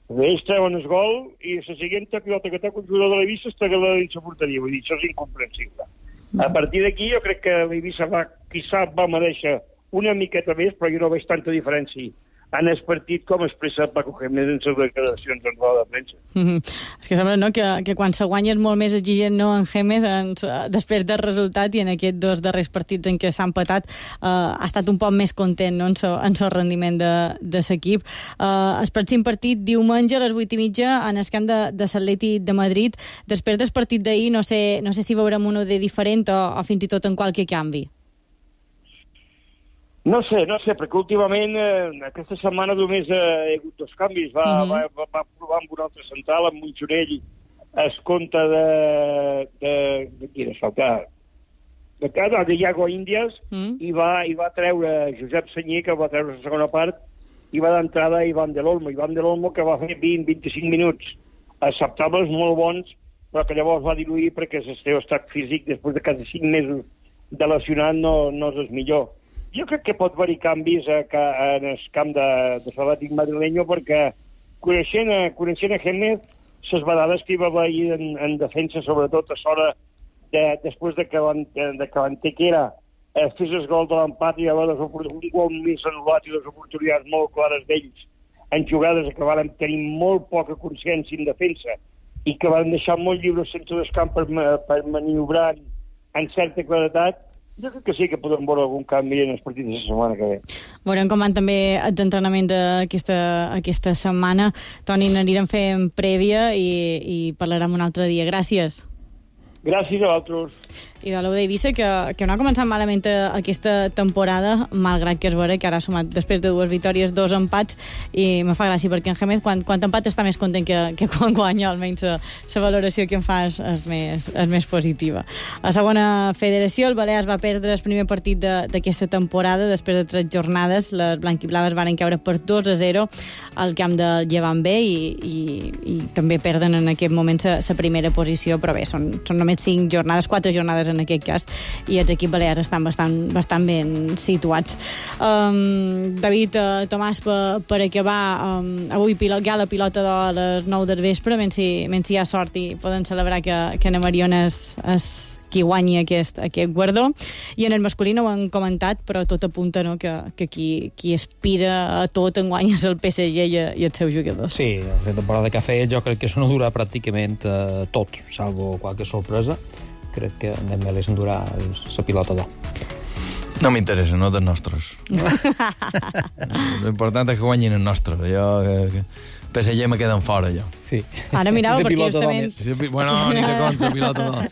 Ells treuen el gol i la següent pilota que té el jugador de l'Eivissa es trega-la dins la porteria. Vull dir, això és incomprensible. A partir d'aquí jo crec que l'Eivissa va, quizà va mereixer una miqueta més, però jo no veig tanta diferència en el partit com expressa Paco Gémez en les declaracions en roda de premsa. Mm-hmm. És que sembla, no?, que, que quan se guanya és molt més exigent, no, en Gémez, doncs, després del resultat, i en aquests dos darrers partits en què s'ha empatat eh, ha estat un poc més content, no?, en el rendiment de, de l'equip. Eh, el pròxim partit diumenge a les vuit i mitja en el camp de, de l'Atlètic de Madrid. Després del partit d'ahir no sé, no sé si veurem un U D diferent o, o fins i tot en qualque canvi. No sé, no sé, perquè últimament eh, aquesta setmana només eh, hi ha hagut dos canvis. Va, uh-huh. va, va, va provar amb un altre central, amb Monchonell, es compte de... de, de qui era faltar? De, de, de Iago Índies, uh-huh. i, va, i va treure Josep Senyer, que va treure la segona part, i va d'entrada Ivan del Olmo. Ivan del Olmo, que va fer vint a vint-i-cinc minuts acceptables, molt bons, però que llavors va diluir perquè el seu estat físic, després de quasi cinc mesos de lesionat, no, no és el millor. Jo crec que pot haver-hi canvis a, a, en el camp de, de l'Atlètic madrileño perquè coneixent a, coneixent a Gémez, les vegades que hi va haver en, en defensa, sobretot a l'hora de, després de que, de que l'Antequera eh, fes el gol de l'empat i hi va haver un gol més anul·lat i les oportunitats molt clares d'ells en jugades que van tenir molt poca consciència en defensa i que van deixar molt lliures centre del camp per, per maniobrar en certa claretat. Jo crec que sí que podem veure algun canvi en els partits de la setmana que ve. Veurem com van també els entrenaments aquesta, aquesta setmana. Toni, n'anirem fent prèvia i, i parlarem un altre dia. Gràcies. Gràcies a vosaltres. I de l'U d'Eivissa, que, que no ha començat malament aquesta temporada, malgrat que és vera que ara ha sumat després de dues victòries, dos empats, i me fa gràcia perquè en Jémez, quan, quan empat està més content que, que quan guanya, almenys la valoració que en fa és, és, més, és més positiva. A segona federació, el Balears va perdre el primer partit d'aquesta temporada, després de tres jornades, les blanquiblaves van caure per dos a zero al camp del Llevant B i, i, i també perden en aquest moment la primera posició, però bé, són, són només cinc jornades, quatre jornades en aquest cas, i els equips balears estan bastant, bastant ben situats. Um, David, uh, Tomàs, per, per acabar, um, avui pilot, gala pilota de les nou del vespre, menys si, menys si hi ha sort i poden celebrar que, que Ana Mariona és, és qui guanyi aquest, aquest guardó. I en el masculí no ho han comentat, però tot apunta, no?, que, que qui, qui aspira a tot enguany és el P S G i, i els seus jugadors. Sí, la temporada que ha fet jo crec que s'ho durà pràcticament uh, tot, salvo qualque sorpresa. Crec que Dembélé s'endurà la pilota d'or. No m'interessa, no dels nostres. L'important és que guanyin els nostres. Jo, que, P S G me queden fora, jo. Sí. Ara mirava perquè justament... Sí, bueno, ni de com, la pilota d'or.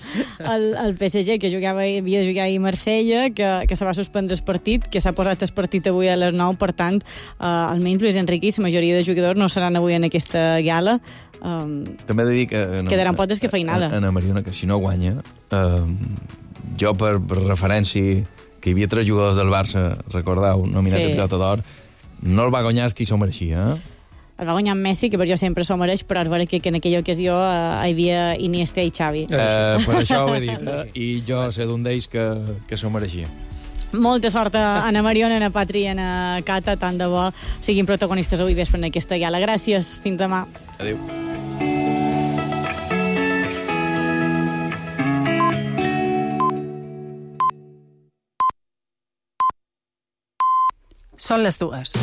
El, el P S G, que jugava, havia de jugar a Marsella, que, que se va suspendre el partit, que s'ha posat el partit avui a les nou, per tant, uh, almenys Luis Enrique i la majoria de jugadors no seran avui en aquesta gala. Um, També he de dir que... No, quedaran potes que feinada. Ana Mariona, que si no guanya, uh, jo per, per referència, que hi havia tres jugadors del Barça, recordeu, nominats sí. a pilota d'or, no el va guanyar qui s'ho mereixia, eh? El va guanyar Messi, que per jo sempre s'ho mereix, però és vera que, que en aquella ocasió uh, hi havia Iniesta i Xavi. Uh, per això ho he dit, eh? I jo sé d'un d'ells que, que s'ho mereixia. Molta sort a Ana Mariona, a Ana Patri i a Ana Cata, tant de bo siguin protagonistes avui vespre en aquesta gala. Gràcies, fins demà. Adéu. Són les dues.